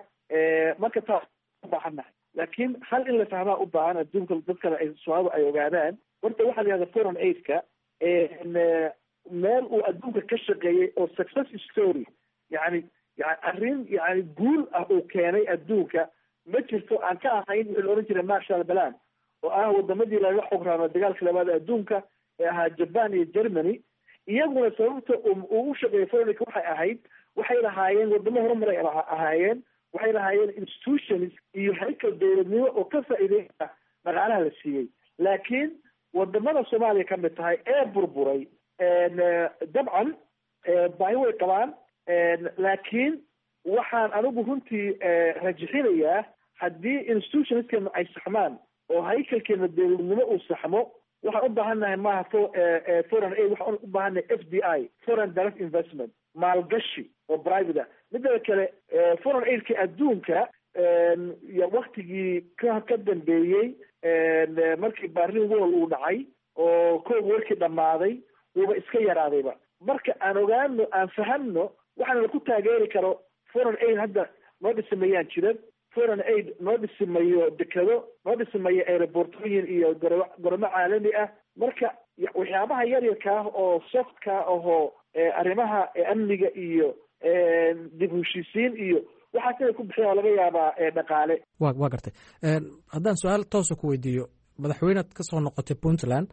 marka taas ubaahan nahay. Laakiin hal in la fahmaa u baahan adduunka dadkana ay Soomaalidu ay ogaadaan, horta waxaa la yihahda foreign aidka meel uu adduunka ka shaqeeyey oo success story, yani yani arrin yani guul ah uu keenay adduunka ma jirto aan ka ahayn wixii la ohan jiray Marshall Plan, oo ah wadamadii laga xograamo dagaalka labaad adduunka ee ahaa Japan iyo Germany. Iyaguna sababta uu u shaqeeyay foreign waxay ahayd, waxay lahaayeen wadamo horumaray ahaayeen, waxay lahaayeen institutions iyo haykal dowladnimo oo ka faa'iideysa dhaqaalaha la siiyey. Laakiin wadamada Soomaaliya ka mid tahay ee burburay, dabcan baahi way qabaan, laakiin waxaan anigu runtii rajixinayaa haddii institutionskeena ay saxmaan oo haykalkeena dowladnimo uu saxmo, waxaan u baahan nahay maaha foreign aid, waxaan u baahan nahay F D I, foreign direct investment, maalgashi oo private ah. Midda kale, foreign aidka adduunka waktigii ka ka dambeeyey markii Berlin Wall uu dhacay oo koog warkii dhammaaday, wuuba iska yaraadayba. Marka aan ogaano, aan fahamno, waxaana laku taageeri karo foreign aid hadda noo dhisimayaan jiran, foreign aid noo dhisimayo dekado, noo dhisimayo aerobortooyin iyo garo garoomo caalami ah. Marka waxyaabaha yaryarka ah oo softka ahoo arrimaha amniga iyo dib heshiisiin iyo waxaas inay ku bixiyan waa laga yaabaa dhaqaale. wa waa gartay. Haddaan su-aal toosa ku weydiiyo, madaxweynead ka soo noqotay Puntland,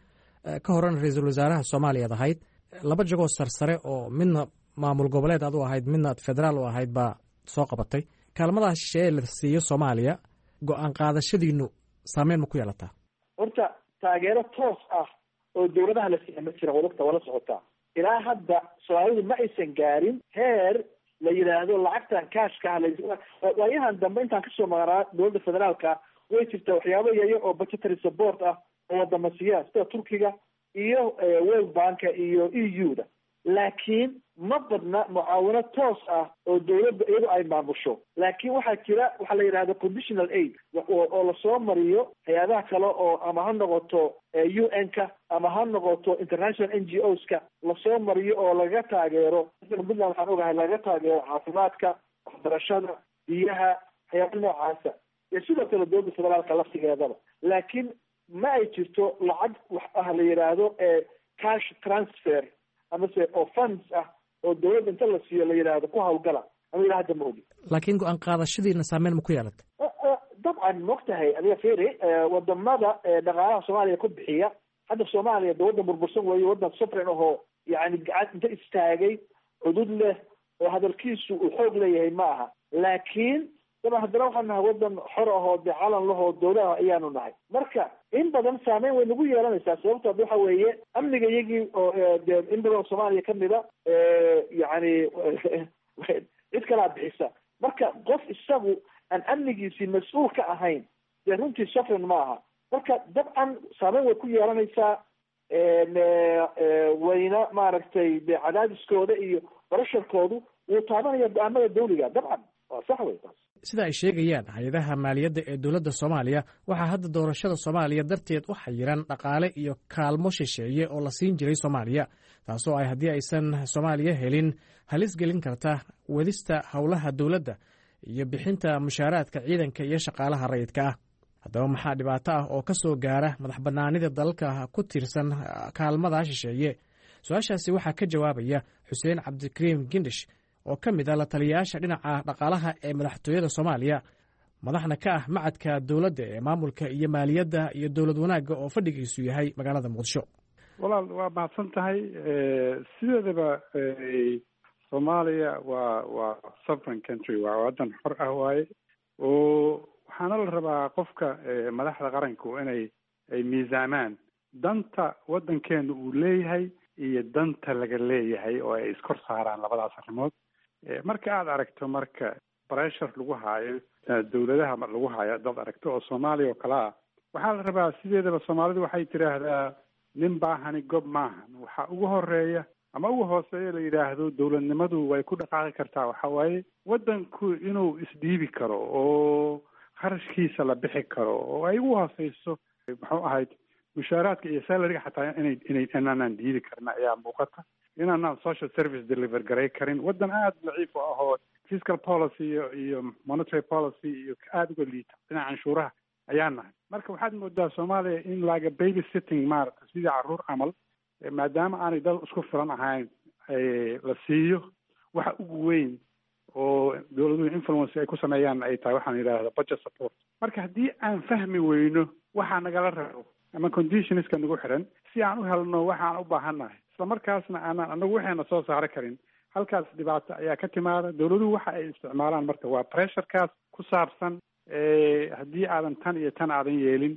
ka horena ra-iisul wasaaraha Soomaaliyaad ahayd, laba jagoo sarsare oo midna maamul goboleed aad u ahayd, midna federaal u ahayd baa soo qabatay. Kaalmadaha shisheeye la siiyo Soomaaliya go-aan qaadashadiinu saameyn ma ku yeelataa? Horta taageero toos ah oo dowladaha la siiya ma jira. Wadagta waa la socotaa, ilaa hadda Soomaalidu ma aysan gaarin heer la yidhaahdo lacagtan kaashka ah. Waayahan dambe intaan kasoo maqnaa dowladda federaalka, way jirtaa waxyaabo yaryar oo budgetary support ah oo wadama siiya, sida Turkiga iyo World Banka iyo E U da, laakiin ma badna mucaawino toos ah oo dowladda iyadu ay maamusho. Laakiin waxaa jira waxaa la yidhahda conditional aid oo lasoo mariyo hay-adaha kale oo ama ha noqoto U N ka ama ha noqoto international N G Os ka lasoo mariyo oo lagaga taageero. Puntland waxaan ogahay lagaga taageero caafimaadka, waxbarashada, biyaha, waxyaaba noocaasa, iyo sidoo kale dowladda federaalka laftigeedaba. Laakiin ma ay jirto lacag wax ah la yidhaahdo cash transfer amase oo funds ah oo dowladda inta la siiyo la yidhaahdo ku hawlgala ama ilaa hadda ma ogi. Laakiin go-aan qaadashadiina saameyn ma ku yeelatay? Dabcan, maogtahay adiga, firi wadamada dhaqaalaha Soomaaliya ku bixiya hadda, Soomaaliya de waddan burbursan weeye, waddan sovereign ahoo yani gacan inta istaagay cudud leh oo hadalkiisu uu xoog leeyahay ma aha. Laakiin daban haddana waxaan nahay waddan xor ahoo dee calan lahoo dowlaha ayaanu nahay. Marka in badan saameyn way nagu yeelanaysaa, sababto ad waxa weeye amniga iyagii oo dee in badan oo Soomaaliya kamida yani cid kalaa bixisa. Marka qof isagu aan amnigiisii mas-uul ka ahayn dee runtii sovereign ma aha. Marka dabcan saameyn way ku yeelanaysaa, wayna maaragtay de cadaadiskooda iyo barasharkoodu wuu taabanaya go-aamada dawliga, dabcan waa sax wey taas. Sida ay sheegayaan hay-adaha maaliyadda ee dowladda Soomaaliya, waxaa hadda doorashada Soomaaliya darteed u xayiran dhaqaale iyo kaalmo shisheeye oo la siin jiray Soomaaliya, taasoo ay haddii aysan Soomaaliya helin halis gelin karta wadista howlaha dowladda iyo bixinta mushaaraadka ciidanka iyo shaqaalaha rayidka ah. Haddaba maxaa dhibaato ah oo ka soo gaara madax bannaanida dalalka ku tiirsan kaalmada shisheeye? Su-aashaasi waxaa ka jawaabaya Xuseen Cabdikariim Gindish oo ka mid ah la taliyayaasha dhinaca dhaqaalaha ee madaxtooyada Soomaaliya, madaxna ka ah macadka dowladda ee maamulka iyo maaliyadda iyo dowlad wanaagga oo fadhigiisu yahay magaalada Muqdisho. Walaal, waa mahadsan tahay. Sideedaba Soomaaliya waa waa sovereign country, waa waddan xor ah waaye, oo waxaana la rabaa qofka madaxda qaranku inay ay miisaamaan danta waddankeenu uu leeyahay iyo danta laga leeyahay, oo ay iskor saaraan labadaas arrimood. Marka aada aragto marka pressure lagu haayo dowladaha lagu haayo dad aragto oo Soomaaliya oo kale ah, waxaa la rabaa, sideedaba Soomaalidu waxay tidhaahdaa "nin baahani gob maahan". Waxaa ugu horeeya ama ugu hooseeya la yidhaahdo dowladnimadu way ku dhaqaaqi kartaa waxa waaye waddanku inuu isdhiibi karo oo kharashkiisa la bixi karo, oo ay ugu hooseyso muxuu ahayd mushaaraadka iyo salaryga xataa inay inay inaanaan diidi karna ayaa muuqata, inaanaan social service deliver garay karin. Waddan aada daciif u ah oo fiscal policy iyo iyo monetary policy iyo aada uga liita dhinaca canshuuraha ayaa nahay. Marka waxaad moodaa Soomaaliya in laga baby sitting, maaragta, sidii carruur camal, maadaama aanay dad isku filan ahayn, la siiyo waxa ugu weyn oo dowladuhu influence ay ku sameeyaan ay tahay waxaan yidhaahda budget support. Marka haddii aan fahmi weyno waxaa nagala rabo ama conditionska nagu xiran si aan u helno waxaan u baahannahay, isla markaasna aanaan anagu waxayna soo saari karin, halkaas dhibaato ayaa ka timaada. Dowladuhu waxa ay isticmaalaan marka waa pressurekaas ku saabsan haddii aadan tan iyo tan aadan yeelin,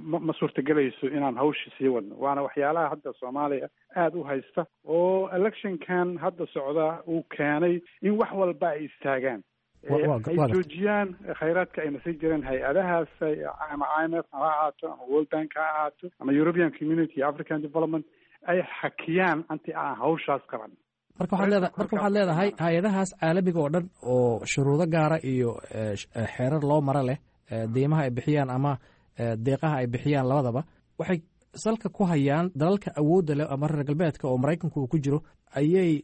ma ma suurtagelayso inaan hawsha sii wadno. Waana waxyaalaha hadda Soomaaliya aada u haysta oo electionkan hadda socda uu keenay in wax walba ay istaagaan, ay joojiyaan khayraadka ayna sii jireen hay-adahaas, ama I M F ha ahaato ama World Bank ha ahaato ama European Community, African Development, ay xakiyaan intii aan hawshaas qaban. Marka waxaad leeda marka waxaad leedahay hay-adahaas caalamiga oo dhan oo shuruudo gaara iyo xeerar loo maro leh deymaha ay bixiyaan ama deeqaha ay bixiyaan labadaba, waxay salka ku hayaan dalalka awoodda leh ama reer galbeedka oo Maraykanku uu ku jiro ayay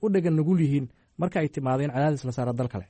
u dhegan nugul yihiin marka ay timaado in cadaadis la saaro dal kale.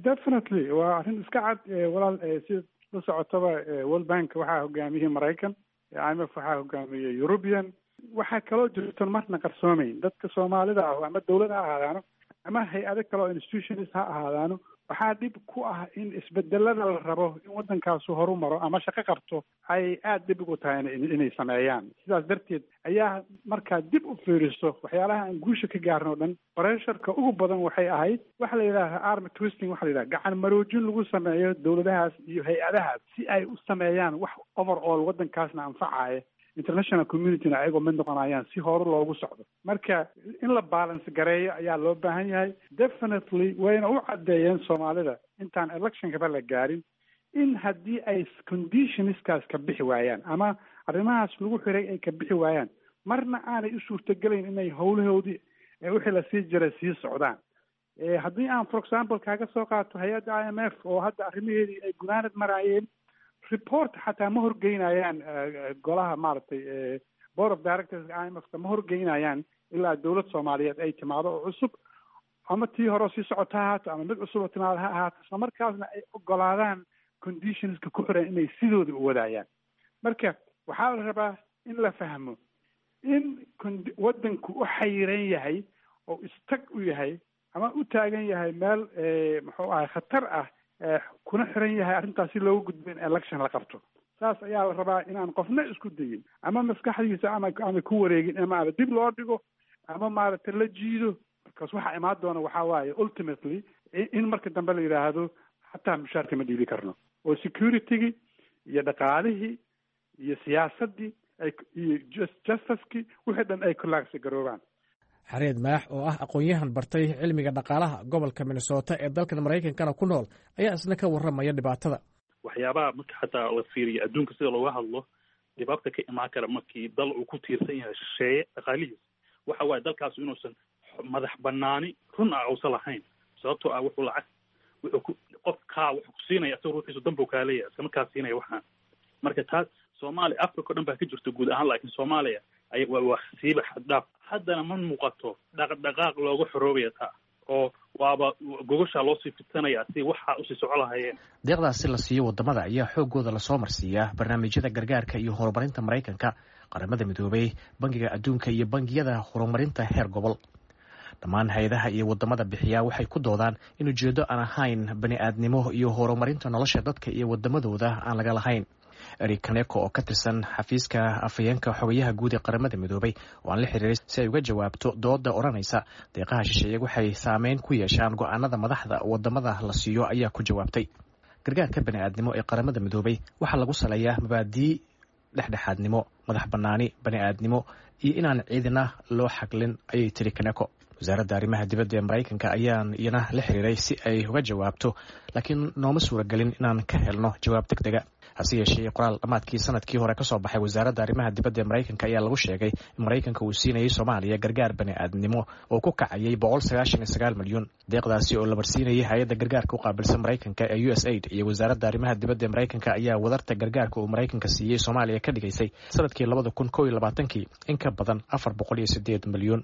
Definitely, waa arrin iska cad, walaal. Sida la socotaba, World Bank waxaa hogaamiyey Maraykan, I M F waxaa hogaamiyey European. Waxaa kaloo jirton marna qarsoomayn, dadka Soomaalida ah ama dowlad ha ahaadaano ama hay-ado kale oo institutions ha ahaadaano, waxaa dhib ku ah in isbedelada la rabo in waddankaasu horu maro ama shaqo qabto ay aada dhib ugu tahay inay sameeyaan. Sidaas darteed ayaa markaa dib u fiiriso waxyaalaha aan guusha ka gaarno o dhan, pressureka ugu badan waxay ahayd waxa la yidhahda arm twisting, waxa la yidhaha gacan maroojin lagu sameeyo dowladahaas iyo hay-adahaas si ay u sameeyaan wax overall waddankaasna anfacaya, international communityna ayagoo mid noqonayaan si hore loogu socdo. Marka in la balance gareeyo ayaa loo baahan yahay. Definitely wayna u caddeeyeen Soomaalida intaan electionkaba la gaarin in haddii ay conditionskaas ka bixi waayaan ama arrimahaas lagu xiray ay ka bixi waayaan, marna aanay u suurtagelayn inay howlahoodii wixii la sii jiray sii socdaan. Haddii aan for example kaaga soo qaato hay-adda I M F oo hadda arrimaheedii ay gunaanad maraayeen, report xataa ma horgeynayaan golaha, maaragtay, board of directors I M F ka ma horgeynayaan ilaa dowlad Soomaaliyeed ay timaado oo cusub, ama tii hore sii socota ha ahaato ama mid cusub oo timaado ha ahaato, isla markaasna ay ogolaadaan conditionska ku xiran inay sidooda u wadaayaan. Marka waxaa la rabaa in la fahmo in waddanku u xayiran yahay oo istag u yahay ama u taagan yahay meel muxuu ahay khatar ah, kuna xiran yahay arrintaas si loogu gudbo in election la qabto. Saas ayaa la rabaa inaan qofna isku dayin ama maskaxdiisa ama ama ku wareegin ama ama dib loo dhigo ama maaragtay la jiido, markaas waxaa imaan doona waxaa waaye ultimately in marka dambe la yidhaahdo xataa mushaarka ma dhiibi karno, oo security-gii iyo dhaqaalihii iyo siyaasaddii ay iyo justicekii wixii dhan ay collapse garoobaan. Xareed Maax oo ah aqoon-yahan bartay cilmiga dhaqaalaha, gobolka Minnesota ee dalkan Maraykankana ku nool, ayaa isna ka warramaya dhibaatada. Waxyaabaha marka xataa la fiiriyo adduunka sida looga hadlo, dhibaabta ka imaan kara markii dal uu ku tiirsan yahay shisheeye dhaqaalihiis, waxa waaye dalkaas inuusan madax banaani run ah uusan lahayn, sababtoo ah wuxuu lacag wuxuu ku qof kaa wuxuu ku siinaya asagoo ruuxiisu danbuu kaa leeyahay iskama kaa siinaya waxaan. Marka taas Soomaaliya, Africa o dhan baa ka jirta guud ahaan, laakiin Soomaaliya ay waa waa siiba xaddhaaf. Haddana ma muuqato dhaqdhaqaaq looga xoroobaya taa, oo waaba gogoshaa loosii fidsanaya si waxaa usii soco lahayeen. Deeqdaasi la siiyo wadamada ayaa xooggooda lasoo marsiiyaa barnaamijyada gargaarka iyo horumarinta Maraykanka, Qaramada Midoobay, Bangiga Adduunka iyo bangiyada horumarinta heer gobol. Dhammaan hay-adaha iyo wadamada bixiyaa waxay ku doodaan in ujeeddo aan ahayn bani-aadnimo iyo horumarinta nolosha dadka iyo wadamadooda aan laga lahayn. Eric Kaneko oo ka tirsan xafiiska afhayeenka xogayaha guud ee Qaramada Midoobay oo aan la xiriiray si ay uga jawaabto dooda odhanaysa deeqaha shisheeye waxay saameyn ku yeeshaan go-aanada madaxda wadamada la siiyo ayaa ku jawaabtay: gargaarka bani-aadnimo ee Qaramada Midoobay waxaa lagu saleeyaa mabaadii dhexdhexaadnimo, madax banaani bani-aadnimo iyo inaan ciidina loo xaglin, ayay tiri Kaneko. Wasaaradda arrimaha dibadda ee Maraykanka ayaan iyana la xiriiray si ay uga jawaabto, laakiin nooma suuragelin inaan ka helno jawaab deg dega. Hase yeeshee, qoraal dhammaadkii sanadkii hore kasoo baxay wasaaradda arrimaha dibadda ee Maraykanka ayaa lagu sheegay in Maraykanka uu siinayay Soomaaliya gargaar bani-aadnimo oo ku kacayay boqol sagaashan iyo sagaal milyan. Deeqdaasi oo la marsiinayay hay-adda gargaarka u qaabilsan Maraykanka ee U S Aid iyo wasaaradda arrimaha dibadda ee Maraykanka ayaa wadarta gargaarka uu Maraykanka siiyey Soomaaliya ka dhigaysay sanadkii labada kun kow iyo labaatankii in ka badan afar boqol iyo sideed milyan.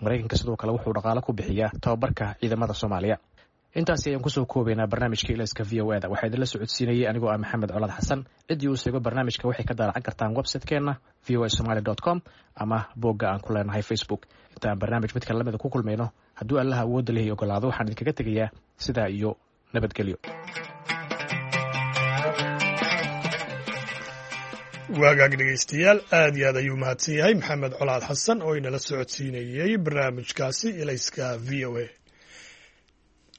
Maraykanka sidoo kale wuxuu dhaqaalo ku bixiyaa tababarka ciidamada Soomaaliya. Intaasi ayaan kusoo koobaynaa barnaamijka Ilayska V O E da. Waxaa idinla socodsiinayay anigoo ah Maxamed Colaad Xasan. Ciddii uu seego barnaamijka waxay ka daalacan kartaan website-keenna v o a somaly dot com ama boogga aan ku leenahay Facebook. Intaan barnaamij midka lamida ku kulmayno, hadduu Allaha awoodda lehi ogolaado, waxaan idinkaga tegayaa sidaa iyo nabadgelyo. Waagaag dhegaystayaal, aad iyo aad ayuu mahadsan yahay Maxamed Colaad Xasan oo inala socodsiinayey barnaamijkaasi Ilayska V O A.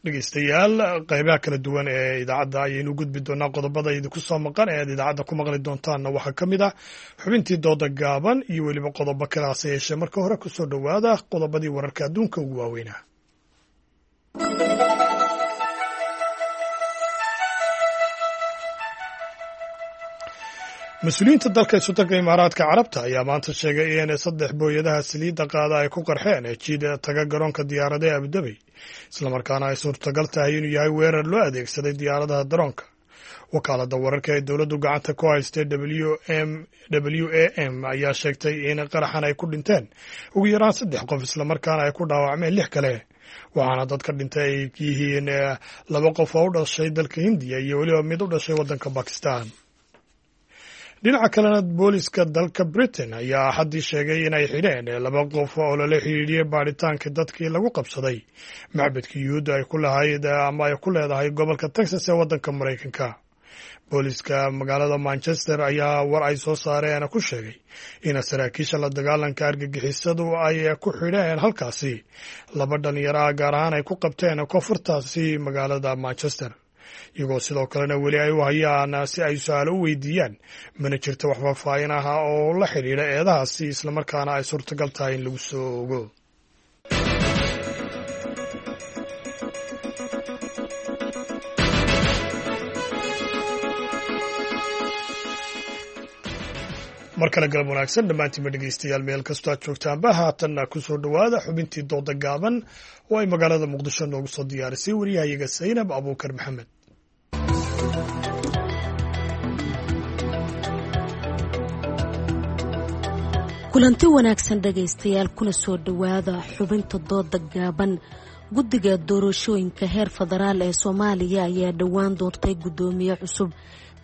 Dhegeystayaal, qeybaha kala duwan ee idaacadda ayaynu gudbi doonaa. Qodobada idinku soo maqan ee aad idaacadda ku maqli doontaanna waxaa ka mid ah xubintii dooda gaaban iyo weliba qodobo kale. Hase yeeshee, marka hore kusoo dhowaada qodobadii wararka adduunka ugu waaweynaa. Mas-uuliyiinta dalka Isu-tagga Imaaraadka Carabta ayaa maanta sheegay in saddex booyadaha saliidda qaada ay ku qarxeen jiid taga garoonka diyaaradaha Abudabey, islamarkaana ay suurtagal tahay inuu yahay weerar loo adeegsaday diyaaradaha daroonka. Wakaaladda wararka ee dowladdu gacanta ku haystay w m w a m ayaa sheegtay in qaraxan ay ku dhinteen ugu yaraan saddex qof, islamarkaana ay ku dhaawacmeen lix kale, waxaana dadka dhintay ay yihiin laba qof oo u dhashay dalka Hindiya iyo weliba mid u dhashay waddanka Bakistan. Dhinaca kalena, booliska dalka Britain ayaa Axaddii sheegay inay xidheen laba qof oo lala xidhiidhiyey baadhitaanka dadkii lagu qabsaday macbadka Yuhuudda ay ku lahayd ama ay ku leedahay gobolka Texas ee waddanka Maraykanka. Booliska magaalada Manchester ayaa war ay soo saareen ku sheegay in saraakiisha la dagaalanka argagixisadu ay ku xidheen halkaasi laba dhalinyaro ah, gaar ahaan ay ku qabteen koonfurtaasi magaalada Manchester, iyagoo sidoo kalena weli ay u hayaan si ay su-aalo u weydiiyaan. Mana jirto wax faahfaahin ah oo la xidhiidha eedahaasi, islamarkaana ay suurtagal tahay in lagu soo ogo. Mar kale galab wanaagsan dhammaantiinba dhegeystayaal, meel kastoo aad joogtaanba. Haatanna kusoo dhowaada xubintii dooda gaaban oo ay magaalada Muqdisho noogu soo diyaarisay wariyahayaga Saynab Abuukar Maxamed. Kulanti wanaagsan dhegaystayaal, kuna soo dhowaada xubinta dooda gaaban. Guddiga doorashooyinka heer federaal ee Soomaaliya ayaa dhowaan doortay guddoomiye cusub,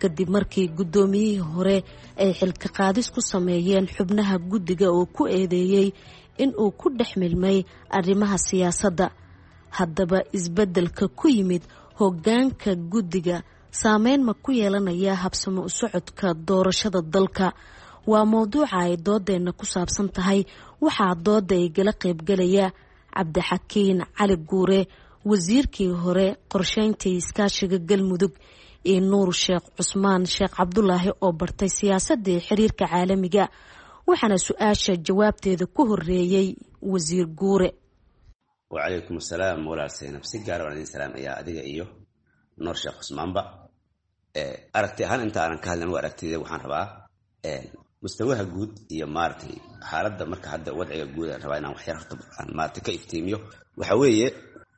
kadib markii guddoomiyihii hore ay xilka qaadis ku sameeyeen xubnaha guddiga oo ku eedeeyey in uu ku dhex milmay arrimaha siyaasadda. Haddaba, isbeddelka ku yimid hoggaanka guddiga saameyn ma ku yeelanaya habsamo u socodka doorashada dalka? Waa mowduuca ay doodeenna ku saabsan tahay. Waxaa dooda igala qaybgalaya Cabdixakiin Cali Guure, wasiirkii hore qorsheynta iskaashiga Galmudug, iyo Nuur Sheekh Cusmaan Sheekh Cabdulaahi oo bartay siyaasadii xiriirka caalamiga. Waxaana su-aasha jawaabteeda ku horeeyey wasiir Guure. Wacalaykum asalaam walaal Saynab, si gaara waan idin salaamayaa adiga iyo Nuur Sheekh Cusmaanba. Aragti ahaan inta aanan ka hadlin, aragtida waxaan rabaa mustawaha guud iyo maaragtay xaaladda marka hadda wadciga guud aan rabaa inaan waxyar horta aan maaragtay ka iftiimiyo. Waxa weeye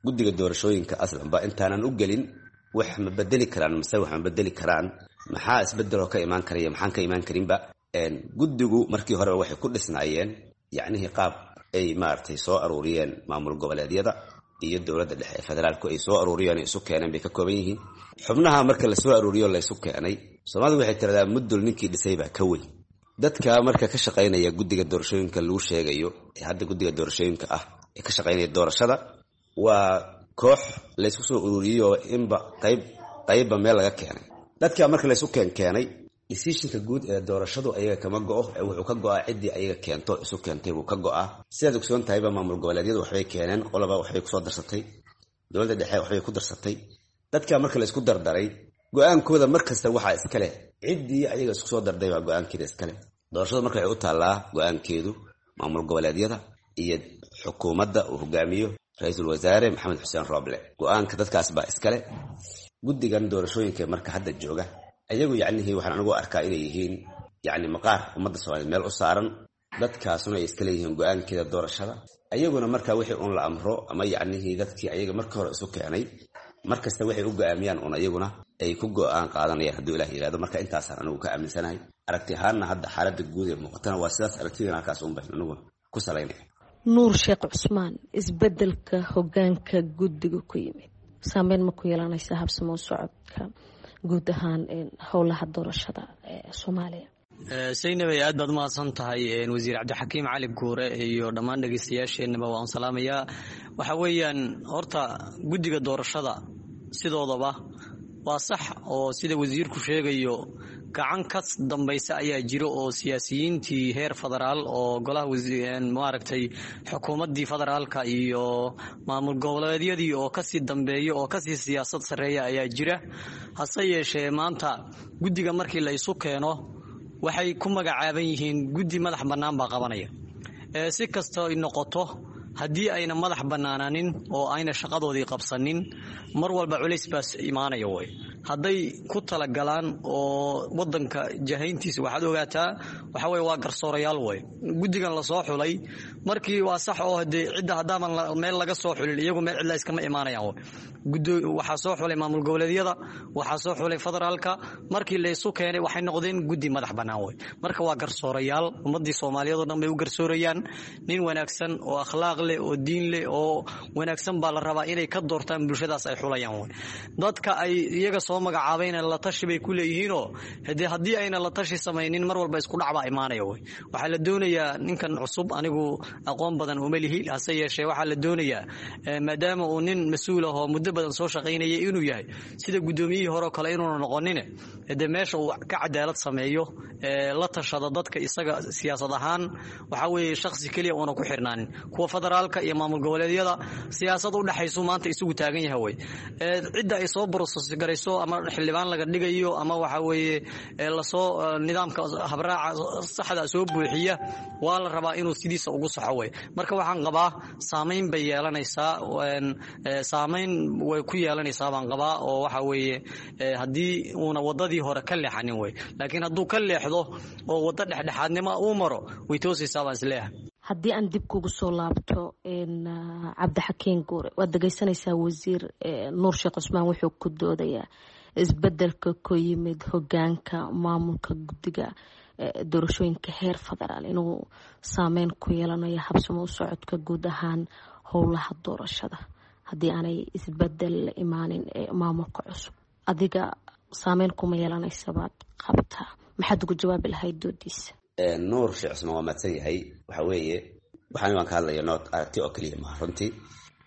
guddiga doorashooyinka aslanba intaanan u gelin wax ma bedeli karaan mise wax ma bedeli karaan, maxaa isbedeloo ka imaan karaya, maxaan ka imaan karinba. Guddigu markii horeba waxay ku dhisnaayeen yacnihii qaab ay maaragtay soo aruuriyeen maamul goboleedyada iyo dowladda dhexe ee federaalku ay soo aruuriyeen, isu keeneen bay ka kooban yihiin. Xubnaha marka la soo aruuriyo laysu keenay, Soomaalidu waxay tiradaa mudul ninkii dhisay baa ka weyn. Dadka marka ka shaqaynaya guddiga doorashooyinka lagu sheegayo ee hadda guddiga doorashooyinka ah ee ka shaqaynaya doorashada waa koox laysku soo ururiyeyoo inba qayb qaybba meel laga keenay. Dadka marka laysu keenkeenay, decisionka guud ee doorashadu ayaga kama go'o, ee wuxuu ka go'aa ciddii ayaga keento isu keentay buu ka go'aa. Sidaad ogsoon tahayba, maamul goboleedyadu waxbay keeneen, qoloba waxbay kusoo darsatay, dowladda dhexe waxbay ku darsatay. Dadka marka laysku dardaray, go-aankooda markasta waxaa iska leh ciddii ayaga isku soo darday baa go-aankeeda iska leh. Doorashadu marka waxay u taallaa go-aankeedu maamul goboleedyada iyo xukuumadda uu hogaamiyo ra-iisul wasaare Maxamed Xuseen Rooble. Go-aanka dadkaas baa iskale. Guddigan doorashooyinka marka hadda jooga ayagu yacnihii waxaan anigu arkaa inay yihiin yacni maqaar ummadda Soomaliyeed meel u saaran, dadkaasuna ay iska leeyihiin go-aankeeda doorashada. Ayaguna marka wixii uun la amro ama yacnihii dadkii ayaga marka hore isu keenay markasta waxay u go-aamiyaan uun ayaguna ay ku go-aan qaadanayaan, hadduu Ilaah yihahdo. Marka intaasaan anigu ka aaminsanahay. Aragti ahaanna hadda xaaladda guud ee muuqatana waa sidaas. Aragtidana halkaas uun bayn anigu ku salaynaya. Nuur Sheekh Cusmaan, isbedelka hogaanka guddiga ku yimid saameyn ma ku yeelanaysa habsamo socodka guud ahaan howlaha doorashada ee Soomaaliya? Saynabay, aad baad umahadsan tahay. Wasiir Cabdixakiim Cali Guure iyo dhammaan dhegeystayaasheenaba waan salaamayaa. Waxa weeyaan horta guddiga doorashada sidoodaba waa sax oo sida wasiirku sheegayo gacan ka dambaysa ayaa jiro oo siyaasiyiintii heer federaal oo golaha maaragtay xukuumaddii federaalka iyo maamul goboleedyadii oo kasii dambeeya oo kasii siyaasad sarreeya ayaa jira. Hase yeeshee maanta guddiga markii la isu keeno waxay ku magacaaban yihiin guddi madax bannaan baa qabanaya. Si kasta ay noqoto, haddii ayna madax bannaanaanin oo ayna shaqadoodii qabsanin, mar walba culays baas imaanaya way. Hadday ku talagalaan oo wadanka jahayntiisa, waxaad ogaataa waxa weye waa garsoorayaal way guddigan lasoo xulay. Markii waa sax oo hadee cidda haddaaban meel laga soo xulin, iyagu meel cidla iskama imaanayaan way. Waxaa soo xulay maamul goboleedyada, waxaa soo xulay federaalka. Markii laysu keenay waxay noqdeen guddi madax bannaan way. Marka waa garsoorayaal, ummadii Soomaaliyeed oo dhan bay u garsoorayaan. Nin wanaagsan oo akhlaaq leh oo diin leh oo wanaagsan baa la rabaa inay ka doortaan bulshadaas ay xulayaan way. Dadka ay iyaga soo magacaabayna la tashi bay ku leeyihiinoo hadee haddii ayna la tashi samaynin, mar walba isku dhac baa imaanaya way. Waxaa la doonayaa ninkan cusub, anigu aqoon badan uma lihi, hase yeeshee waxaa la doonayaa maadaama uu nin mas-uul ah oo muddo badan soo shaqaynaya inuu yahay, sida guddoomiyihii hore oo kale inuuna noqonine, dee meesha uu ka cadaalad sameeyo, la tashado dadka isaga siyaasad ahaan, waxaa weeye shakhsi keliya uuna ku xirnaanin kuwa federaalka iyo maamul goboleedyada siyaasad u dhexaysu maanta isugu taagan yahay way. Cidda ay soo process garayso ama xildhibaan laga dhigayo ama waxa weeye lasoo nidaamka habraaca saxda soo buuxiya waa la rabaa inuu sidiisa ugu saxo way. Marka waxaan qabaa saamayn bay yeelanaysaa, saamayn way ku yeelanaysaa baan qabaa, oo waxa weeye haddii uuna wadadii hore ka leexanin way. Laakiin hadduu ka leexdo oo waddo dhexdhexaadnimo uu maro, way toosaysaa baan isleeyahay. Haddii aan dib kugu soo laabto, Cabdixakiin Guure, waad dhegeysanaysaa wasiir Nuur Sheekh Cusmaan wuxuu ku doodayaa isbedelka ku yimid hogaanka maamulka guddiga doorashooyinka heer federaal inuu saameyn ku yeelanayo habsamo u socodka guud ahaan howlaha doorashada haddii aanay isbedel la imaanin maamulka cusub. Adiga saameyn kuma yeelanaysa baad qabtaa, maxaad ugu jawaabi lahayd doodiisa? Nuur Sheekh Cusmaan waa mahadsan yahay. Waxa weeye waxaan waan ka hadlaya nood aragti oo keliya maha runtii.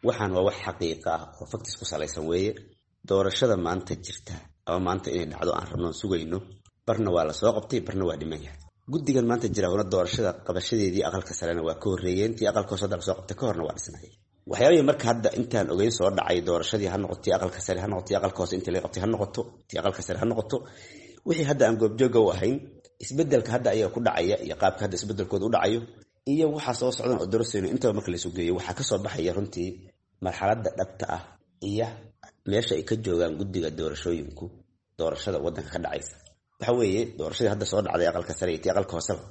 Waxaan waa wax xaqiiqa ah oo facts ku salaysan weeye. Doorashada maanta jirta ama maanta inay dhacdo aan rabno sugayno, barna waa la soo qabtay, barna waa dhiman yahay. Guddigan maanta jira una doorashada qabashadeedii aqalka sarena waa ka horreeyeen, tii aqalka hoose hadda lasoo qabtay ka horna waa dhisnayay. Waxyaabihii marka hadda intaan ogeyn soo dhacay, doorashadii ha noqoto tii aqalka sare, ha noqoto tii aqalka hoose intii laga qabtay, ha noqoto tii aqalka sare, ha noqoto wixii hadda aan goobjooga u ahayn, isbedelka hadda ayaga ku dhacaya iyo qaabka hadda isbedelkooda u dhacayo iyo waxaa soo socdan oo dorasayno, intaba marka laysu geeyo waxaa kasoo baxaya runtii marxaladda dhabta ah iyo meesha ay ka joogaan guddiga doorashooyinku. Doorashada wadanka ka dhacaysa waxa weeye doorashadii hadda soo dhacday aqalka sare iyo tii aqalka hooseba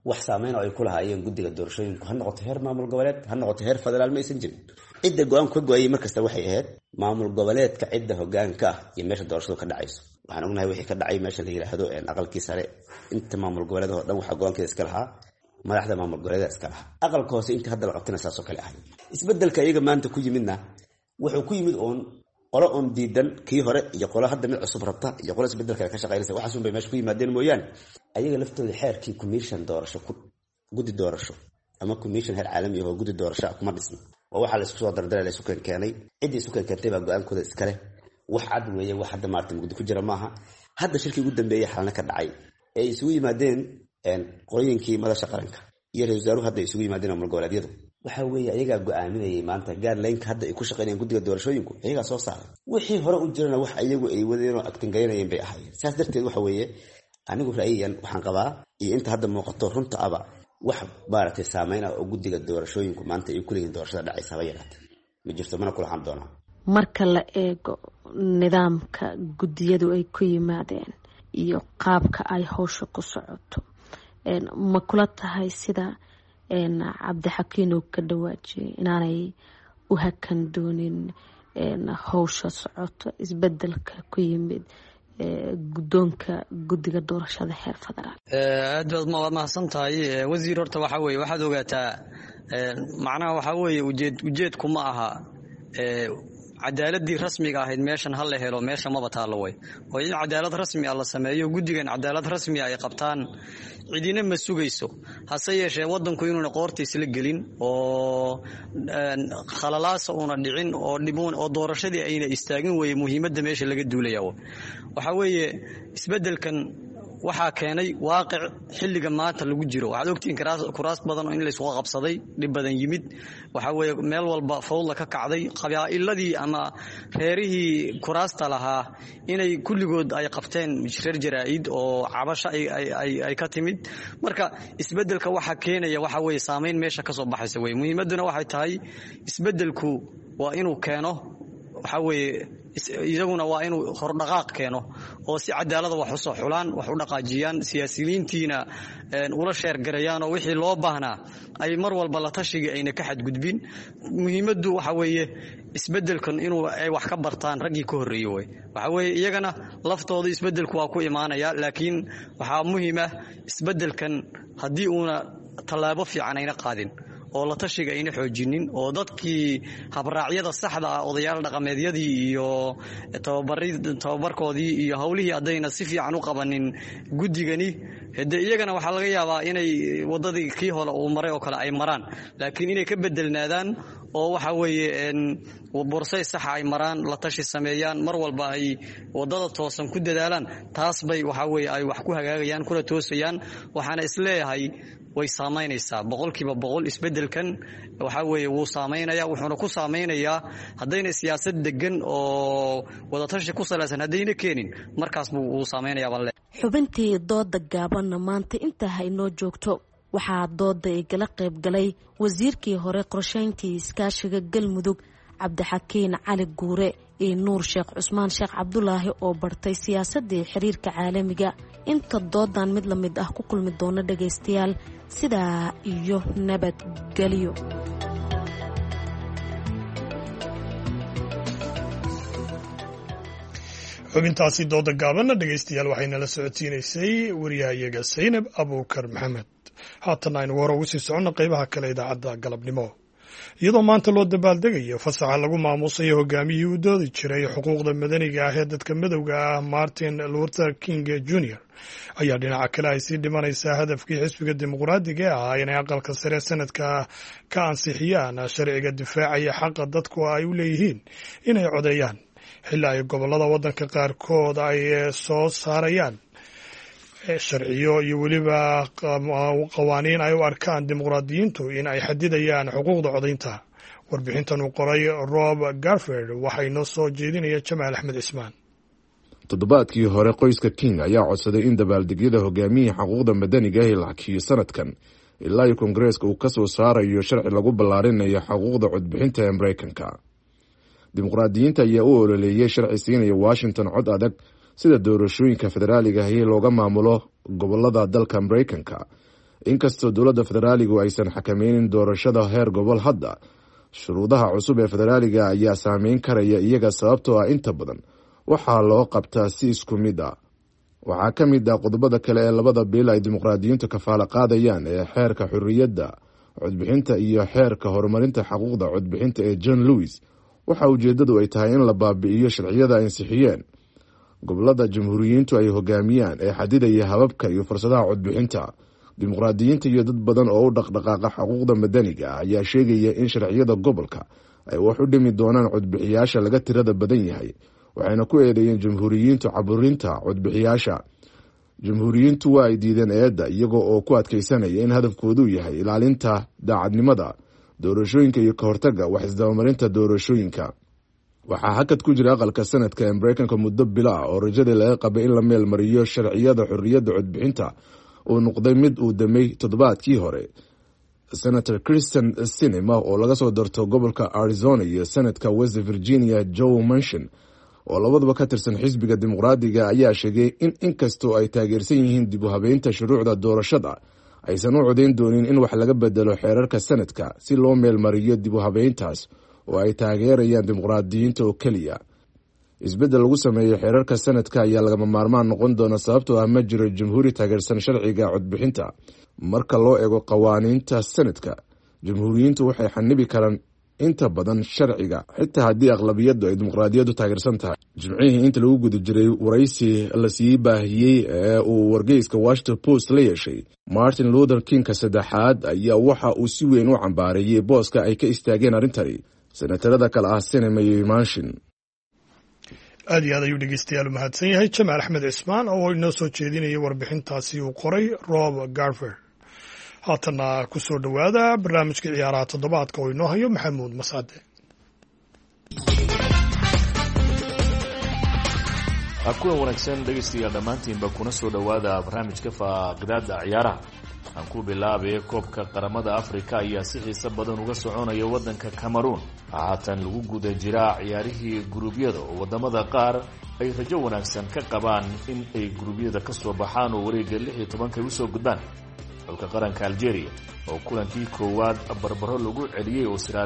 wax saameyn oo ay ku lahaayeen guddiga doorashooyinku, ha noqoto heer maamul goboleed, ha noqoto heer federaal, ma aysan jirin. Cidda go-aanku ka go-ayay markasta waxay ahayd maamul goboleedka cidda hogaanka ah iyo meesha doorashadu ka dhacayso. Waxaan ognahay wixii ka dhacay meesha la yidhaahdo aqalkii sare, inta maamul goboleed oo dhan waxaa go-aankeeda iska lahaa madaxda maamul goboleeda iska lahaa. Aqalka hoose intii hadda la qabtana saasoo kale ahay. Isbedelka iyaga maanta ku yimidna wuxuu ku yimid oon qolo oon diidan kii hore iyo qolo hadda mid cusub rabta iyo qolo isbedel kale ka shaqaynaysa, waxaasun bay meesha ku yimaadeen mooyaane. Ayaga laftooda xeerkii commission doorasho, guddi doorasho ama commission heer caalami ah oo guddi doorasho ah kuma dhisna. Waa waxaa la isku soo dardaray, la isu keenkeenay. Ciddii isu keenkeentay baa go-aankooda iskale. Wax cad weeye, wax hadda maarata mugdi ku jira maaha. Hadda shirkii ugu dambeeyey xalna ka dhacay ee ay isugu yimaadeen qolooyinkii madasha qaranka iyo ra-isul wasaaruhu hadda ay isugu yimaadeen maamul goboleedyadu, waxa weeye ayagaa go-aaminayay maanta gaarlaynka hadda ay ku shaqeynayaan guddiga doorashooyinku, iyagaa soo saaray. Wixii hore u jirana wax ayagu ay wadeenoo agtingaynayeen bay ahaayeen. Saas darteed waxa weeye anigu ra'yiyan waxaan qabaa iyo inta hadda muuqato runta aba wax maaragtay saameyn ah oo guddiga doorashooyinku maanta ay kuleeyihiin doorashada dhacaysa haba yaraatee ma jirto, mana kula xan doonaa. Marka la eego nidaamka guddiyadu ay ku yimaadeen iyo qaabka ay howsha ku socoto, ma kula tahay sida Cabdixakiin uu ka dhawaajiyay inaanay u hakan doonin howsha socoto isbedelka ku yimid guddoonka guddiga doorashada heer federaal? Aad baad waad mahadsan tahay wasiir. Horta waxaa weeye waxaad ogaataa, macnaha waxaa weeye ujeed ujeedku ma aha cadaaladii rasmiga ahayd meeshan ha la helo, meesha maba taallo way oo in cadaalad rasmi ah la sameeyo, guddigan cadaalad rasmi ah ay qabtaan cidina ma sugayso. Hase yeeshee wadanku inuuna qoorta isla gelin oo khalalaasa uuna dhicin oo dhibuun oo doorashadii ayna istaagin weye muhiimadda meesha laga duulaya. Waxaa weeye isbeddelkan waxaa keenay waaqic xilliga maanta lagu jiro. Waxaad ogtihiin kuraas badan oo in laysku qabsaday, dhib badan yimid. Waxaa weeye meel walba fawdla ka kacday, qabaa'iladii ama reerihii kuraasta lahaa inay kulligood ay qabteen reer jaraa'id oo cabasho ay ka timid. Marka isbeddelka waxaa keenaya waxaa weeye saameyn meesha ka soo baxaysa weye. Muhiimadduna waxay tahay isbeddelku waa inuu keeno, waxaa weeye iyaguna waa inuu hordhaqaaq keeno oo si cadaalada wax usoo xulaan, wax u dhaqaajiyaan, siyaasiyiintiina ula sheergarayaan oo wixii loo baahnaa ay mar walba la tashigii ayna ka xadgudbin. Muhiimaddu waxa weeye isbeddelkan inuu ay wax ka bartaan raggii ka horreeyey wey. Waxa weeye iyagana laftooda isbeddelku waa ku imaanaya, laakiin waxaa muhiim ah isbeddelkan haddii uuna tallaabo fiican ayna qaadin oo la tashiga ayna xoojinin oo dadkii habraacyada saxda ah, odayaal dhaqameedyadii iyo tababarkoodii iyo howlihii haddayna si fiican u qabanin guddigani, hade iyagana waxaa laga yaabaa inay wadadii kii hore uu maray oo kale ay maraan, laakiin inay ka bedelnaadaan oo waxa weeye borsay saxa ay maraan, la tashi sameeyaan, mar walba ay wadada toosan ku dadaalaan, taas bay waxa weeye ay wax ku hagaagayaan kuna toosayaan. Waxaana isleeyahay way saamaynaysaa boqolkiiba boqol isbedelkan. Waxaa weeye wuu saamaynaya, wuxuuna ku saameynayaa haddayna siyaasad degan oo wadatashi ku salaysan haddayna keenin, markaas buu wuu saameynayaa baan le. Xubintii dooda gaabanna maanta intaa ha inoo joogto. Waxaa dooda igala qayb galay wasiirkii hore qorsheyntii iskaashiga Galmudug Cabdixakiin Cali Guure iyo Nuur Sheekh Cusmaan Sheekh Cabdulaahi oo bartay siyaasadii xiriirka caalamiga. Inta doodan mid la mid ah ku kulmi doona dhagaystayaal, sidaa iyo nabadgelyo. Xubintaasi dooda gaabanna dhegaystayaal waxaynala socodsiinaysay wariyahayaga Saynab Abuukar Maxamed. Haatan aynu hore ugu sii soconno qaybaha kale idaacadda galabnimo. Iyadoo maanta loo dabaaldegayo fasaxa lagu maamuusayo hogaamiyihii u doodi jiray xuquuqda madaniga ah ee dadka madowga ah Martin Luther King Junior, ayaa dhinaca kale ay sii dhimanaysaa hadafkii xisbiga dimuqraadiga ee ahaa inay aqalka sare sanadka ka ansixiyaan sharciga difaacaya xaqa dadku ay u leeyihiin inay codeeyaan, xilli ay gobollada waddanka qaarkood ay soo saarayaan sharciyo iyo weliba qawaaniin ay u arkaan dimuqraadiyiintu in ay xadidayaan xuquuqda codaynta. Warbixintan uu qoray Rob Garford waxaa inoo soo jeedinaya Jamaal Axmed Cismaan. Toddobaadkii hore qoyska King ayaa codsaday in dabaaldegyada hogaamiyihii xuquuqda madaniga ahi la hakiyo sanadkan ilaa iyo koongareeska uu ka soo saarayo sharci lagu ballaarinayo xuquuqda codbixinta ee Mareykanka. Dimuqraadiyiinta ayaa u ololeeyey sharci siinaya Washington cod adag sida doorashooyinka federaaliga ahi looga maamulo gobolada dalka Mareykanka. Inkastoo dowladda federaaligu aysan xakameynin doorashada heer gobol, hadda shuruudaha cusub ee federaaliga ayaa saameyn karaya iyaga, sababtoo ah inta badan waxaa loo qabtaa si isku mid ah. Waxaa ka mid ah qodobada kale ee labada biil ay dimuqraadiyiintu kafaalo qaadayaan ee xeerka xorriyadda codbixinta iyo xeerka horumarinta xaquuqda codbixinta ee John Lewis. Waxa ujeedadu ay tahay in la baabi'iyo sharciyada ay ansixiyeen gobolada jamhuuriyiintu ay hogaamiyaan ee xadidaya hababka iyo fursadaha codbixinta. Dimuqraadiyiinta iyo dad badan oo u dhaqdhaqaaqa xuquuqda madaniga ah ayaa sheegaya in sharciyada gobolka ay wax u dhimi doonaan codbixiyaasha laga tirada badan yahay, waxayna ku eedeeyeen jamhuuriyiintu caburinta codbixiyaasha. Jamhuuriyiintu waa ay diideen eedda, iyaga oo ku adkeysanaya in hadafkoodu yahay ilaalinta daacadnimada doorashooyinka iyo kahortaga wax isdabamarinta doorashooyinka. Waxaa hakad ku jira aqalka sanadka ee Mareykanka muddo bilo ah oo rajadii laga qabay in la meel mariyo sharciyada xorriyadda codbixinta uu noqday mid uu damay toddobaadkii hore. Senator Christian Sinema oo laga soo darto gobolka Arizona iyo senatka West Virginia Joe Manchin oo labaduba ka tirsan xisbiga dimuqraadiga ayaa sheegay in inkastoo ay taageersan yihiin dib u habeynta shuruucda doorashada, aysan u codeyn doonin in wax laga bedelo xeerarka sanadka si loo meelmariyo dib u habeyntaas oo ay taageerayaan dimuqraadiyiinta oo keliya. Isbeddel lagu sameeyo xeerarka sanadka ayaa lagama maarmaan noqon doona, sababtoo ah ma jiro jamhuuri taageersan sharciga codbixinta. Marka loo eego qawaaniinta sanadka, jamhuuriyiintu waxay xanibi karaan inta badan sharciga, xitaa haddii aqlabiyaddu ay dimuqraadiyaddu taageersan tahay. Jimcihii inta lagu guda jiray waraysi lasii baahiyey ee uu wargeyska Washington Post la yeeshay, Martin Luther Kingka saddexaad ayaa waxa uu si weyn u cambaareeyey booska ay ka istaageen arrintani senatarada kale ah Sinema iyo Manchin. Aad iyo aad ayuu dhegeystayaal u mahadsan yahay Jamaal Axmed Cismaan oo inoo soo jeedinayay warbixintaasi uu qoray Rob Garver. Haatana ku soo dhowaada barnaamijka ciyaaraha toddobaadka oo inoo hayo Maxamuud Mascade. Kulan wanaagsan dhegaystayaal dhammaantiinba, kuna soo dhowaada barnaamijka faaqidaada ciyaaraha. Aan ku bilaabay koobka qaramada Africa ayaa si xiiso badan uga soconaya waddanka Cameroon. Haatan lagu guda jiraa ciyaarihii guruubyada oo wadamada qaar ay rajo wanaagsan ka qabaan in ay guruubyada ka soo baxaan oo wareegga lix iyo tobanka ay usoo gudbaan. Xulka qaranka Algeria oo kulankii koowaad barbaro lagu celiyey oo Sierra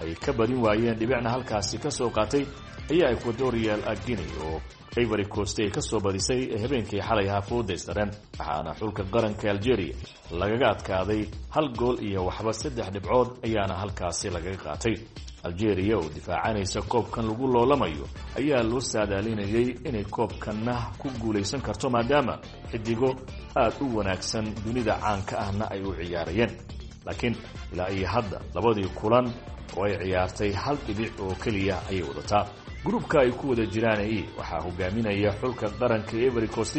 ay ka badin waayeen, dhibicna halkaasi ka soo qaatay, ayaa Equatorial Guinea oo Ivory Coast ay ka soo badisay habeenkii xalay ahaa fooda isdareen, waxaana xulka qaranka Algeria lagaga adkaaday hal gool iyo waxba, saddex dhibcood ayaana halkaasi lagaga qaatay. Algeria oo difaacanaysa koobkan lagu loolamayo ayaa loo saadaalinayay inay koobkanna ku guulaysan karto, maadaama xidigo aad u wanaagsan dunida caanka ahna ay u ciyaarayeen. Laakiin ilaa iyo hadda labadii kulan oo ay ciyaartay hal dhibic oo keliya ayay wadataa. Gruubka ay ku wada jiraan e waxaa hogaaminaya xulka qaranka Ivory Coast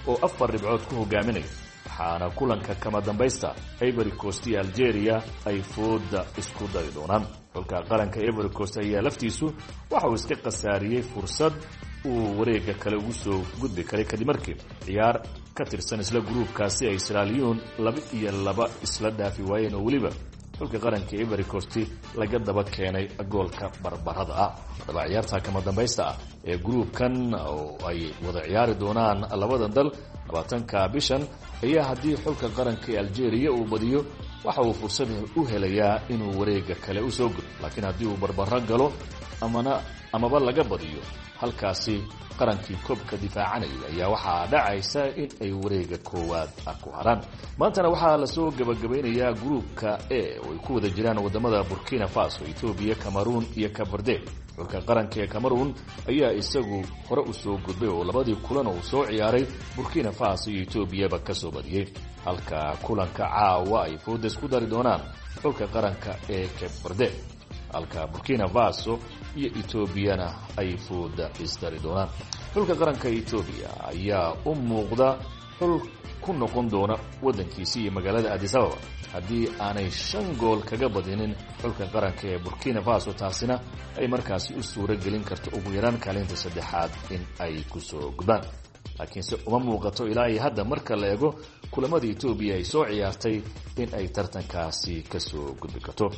oo afar dhibcood ku hogaaminaya, waxaana kulanka kama dambaysta Ivory Coast iyo Algeria ay fooda isku dari doonaan. Xulka qaranka Ivory Coast ayaa laftiisu waxa uu iska khasaariyey fursad uu wareegga kale ugu soo gudbi karay kadib markii ciyaar ka tirsan isla gruubkaasi ay Sierra Leone laba iyo laba isla dhaafi waayeen, oo weliba xulka qaranka Ivory Coast laga daba keenay goolka barbarada ah. Haddaba ciyaarta kama dambaysta ah ee gruubkan oo ay wada ciyaari doonaan labadan dal labaatanka bishan ayaa haddii xulka qaranka ee Algeria uu badiyo waxa uu fursad u helayaa inuu wareegga kale usoo gudbo, laakiin haddii uu barbaro galo amana amaba laga badiyo, halkaasi qarankii koobka difaacanayay ayaa waxaa dhacaysa in ay wareega koowaad ku haraan. Maantana waxaa lasoo gabagabaynayaa gruubka E oo ay ku wada jiraan wadamada Burkina Faso, Etoobiya, Cameroon iyo Cape Verde. Xulka qaranka ee Cameroon ayaa isagu hore usoo gudbay oo labadii kulan oo soo ciyaaray Burkina Faso iyo Etoobiyaba kasoo badiyey, halka kulanka caawa ay fooda isku dari doonaan xulka qaranka ee Cape Verde, halka Burkina Faso iyo Etoobiyana ay fooda isdari doonaan. Xulka qaranka Etoobiya ayaa u muuqda xul ku noqon doona waddankiisi iyo magaalada Addis Ababa haddii aanay shan gool kaga badinin xulka qaranka ee Burkina Faso, taasina ay markaasi u suuro gelin karto ugu yaraan kaalinta saddexaad in ay kusoo gudbaan. Laakiinse uma muuqato ilaa iyo hadda marka la eego kulamada Etoobiya ay soo ciyaartay in ay tartankaasi kasoo gudbi karto.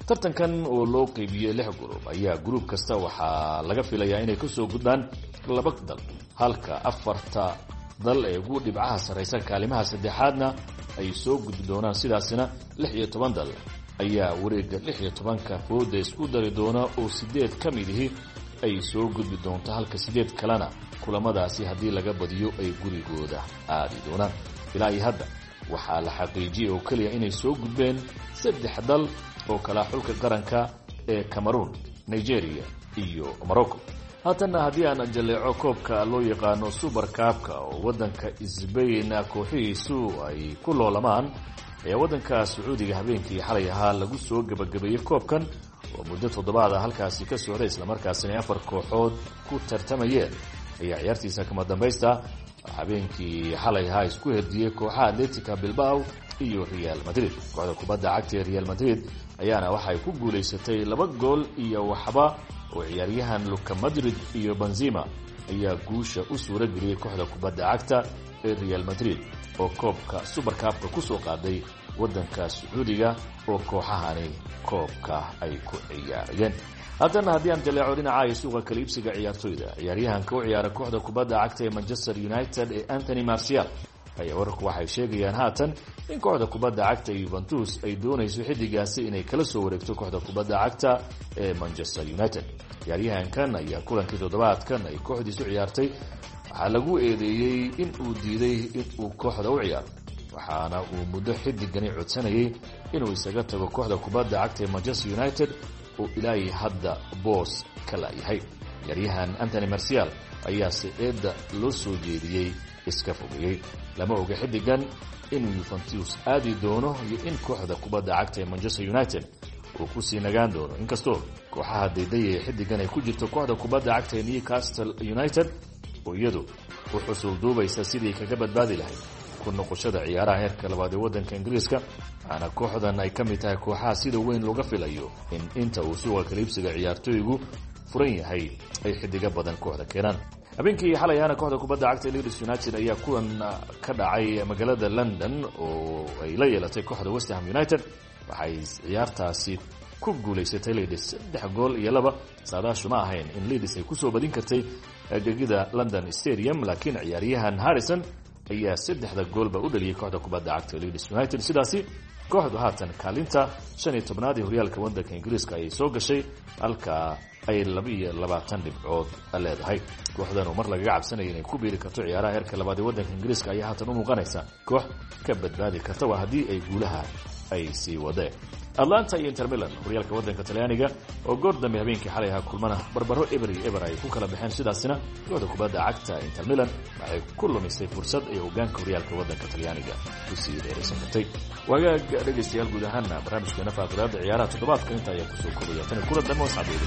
Tartankan oo loo qeybiyey lix gruub ayaa gruub kasta waxaa laga filayaa inay kasoo gudbaan laba dal, halka afarta dal ee ugu dhibcaha sarraysa kaalimaha saddexaadna ay soo gudbi doonaan. Sidaasina lix iyo toban dal ayaa wareegga lix iyo tobanka fooda isku dari doona oo sideed ka mid ihi ay soo gudbi doonto, halka sideed kalena kulamadaasi haddii laga badiyo ay gurigooda aadi doonaan. Ilaa iyo hadda waxaa la xaqiijiyey oo keliya inay soo gudbeen saddex dal oo kala xulka qaranka ee Cameroon, Nigeria iyo Morocco. Haatanna haddii aan jaleeco koobka loo yaqaano Super Cup-ka oo waddanka Sbain kooxihiisu ay ku loolamaan ayaa waddanka Sacuudiga habeenkii xalay ahaa lagu soo gebagabeeyey koobkan oo muddo toddobaad ah halkaasi ka socday, islamarkaasina afar kooxood ku tartamayeen. Ayaa ciyaartiisa kama dambaysta habeenkii xalay ahaa isku herdiyey kooxaha Atletica Bilbao iyo Real Madrid. Kooxda kubadda cagta ee Real Madrid ayaana waxay ku guulaysatay laba gool iyo waxba oo ciyaaryahan Luka Madrid iyo Benzema ayaa guusha u suura geliyey kooxda kubadda cagta ee Real Madrid oo koobka Super Cup-ka kusoo qaaday waddanka Sacuudiga oo kooxahani koobka ay ku ciyaarayeen. Haddana haddii aan jaleeco dhinaca iyo suuqa kala iibsiga ciyaartoyda, ciyaaryahanka u ciyaara kooxda kubadda cagta ee Manchester United ee Anthony Martial ayaa wararku waxay sheegayaan haatan in kooxda kubadda cagta ee Juventus ay doonayso xiddigaasi inay kala soo wareegto kooxda kubadda cagta ee Manchester United. Ciyaaryahankan ayaa kulankii toddobaadkan ay kooxdiisu ciyaartay waxaa lagu eedeeyey in uu diiday in uu kooxda u ciyaaro, waxaana uu muddo xiddigani codsanayay inuu isaga tago kooxda kubadda cagta ee Manchester United oo ilaahay hadda boos ka laayahay. Ciyaaryahan Anthony Martial ayaase eedda loo soo jeediyey iska fogeeyey. Lama oga xiddigan inuu Juventus aadi doono iyo in kooxda kubadda cagta ee Manchester United uu kusii nagaan doono, inkastoo kooxaha daydaya ee xiddigan ay ku jirto kooxda kubadda cagta ee Newcastle United oo iyadu u xusuul duubaysa sidii kaga badbaadi lahayd ku noqoshada ciyaaraha heerka labaad ee waddanka Ingiriiska. Waxaana kooxdan ay ka mid tahay kooxaha sida weyn looga filayo in inta uu suuqa kaliibsiga ciyaartooygu furan yahay ay xiddiga badan kooxda keenaan. Habeenkii xalay ahaana kooxda kubadda cagta Leeds United ayaa kulan ka dhacay magaalada London oo ay la yeelatay kooxda West Ham United. Waxay ciyaartaasi ku guulaysatay Leeds saddex gool iyo laba. Saadaashu ma ahayn in Leeds ay kusoo badin kartay gegida London Stadium, laakiin ciyaaryahan Harrison ayaa saddexda goolba u dhaliyay kooxda kubadda cagta Leeds United. Sidaasi kooxdu haatan kaalinta shan iyo tobnaad ee horyaalka waddanka Ingiriiska ayay soo gashay, halka ay laba iyo labaatan dhibcood leedahay. Kooxdan oo mar lagaga cabsanaya inay ku biiri karto ciyaaraha heerka labaad ee waddanka Ingiriiska ayaa haatan u muuqanaysa koox ka badbaadi karta waa haddii ay guulaha ay sii wadeen. Atlanta iyo Inter Milan horyaalka waddanka Talyaaniga oo goor dambe habeenkii xalay ahaa kulmana barbaro eber iyo eber ay ku kala baxeen. Sidaasina kooxda kubadda cagta Inter Milan waxay ku lumisay fursad ay hogaanka horyaalka waddanka Talyaaniga ku sii dheeraysan kartay. Wagaag dhegaystayaal, guud ahaana barnaamijkeena faaqidaada ciyaaraha toddobaadka inta ayaa kusoo kobaya. Tan kulan dambe wasxaabiyada.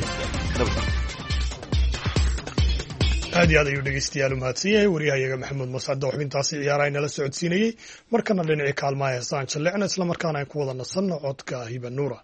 Aad iyo aad ayuu dhegeystayaal u mahadsan yahay waryahayaga Maxamuud Mascado xubintaasi ciyaaraha inala socodsiinayey. Markana dhinacii kaalmaha heesaan jalleecna, islamarkaana aan ku wada nasanno codka Hiba Nuura.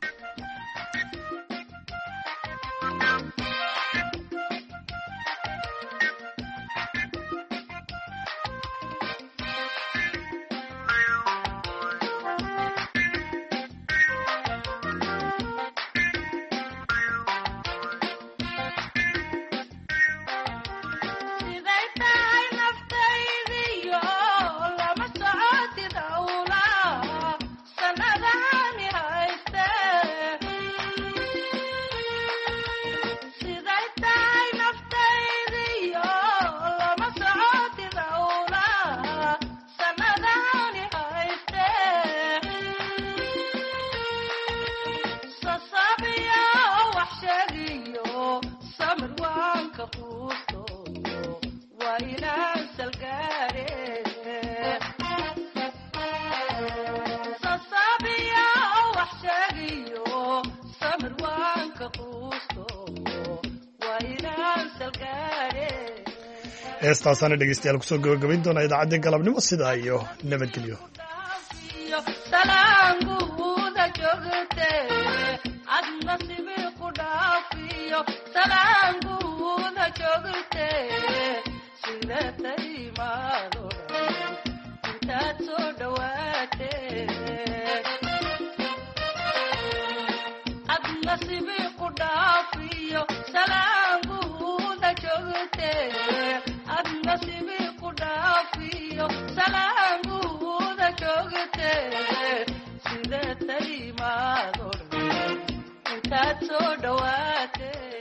Heestaasaana dhegeystayaal kusoo gabagabayn doonaa idaacadda galabnimo. Sidaa iyo nabadgelyo. Intaad soo dhawaatee. Intaad soo dhawaatee.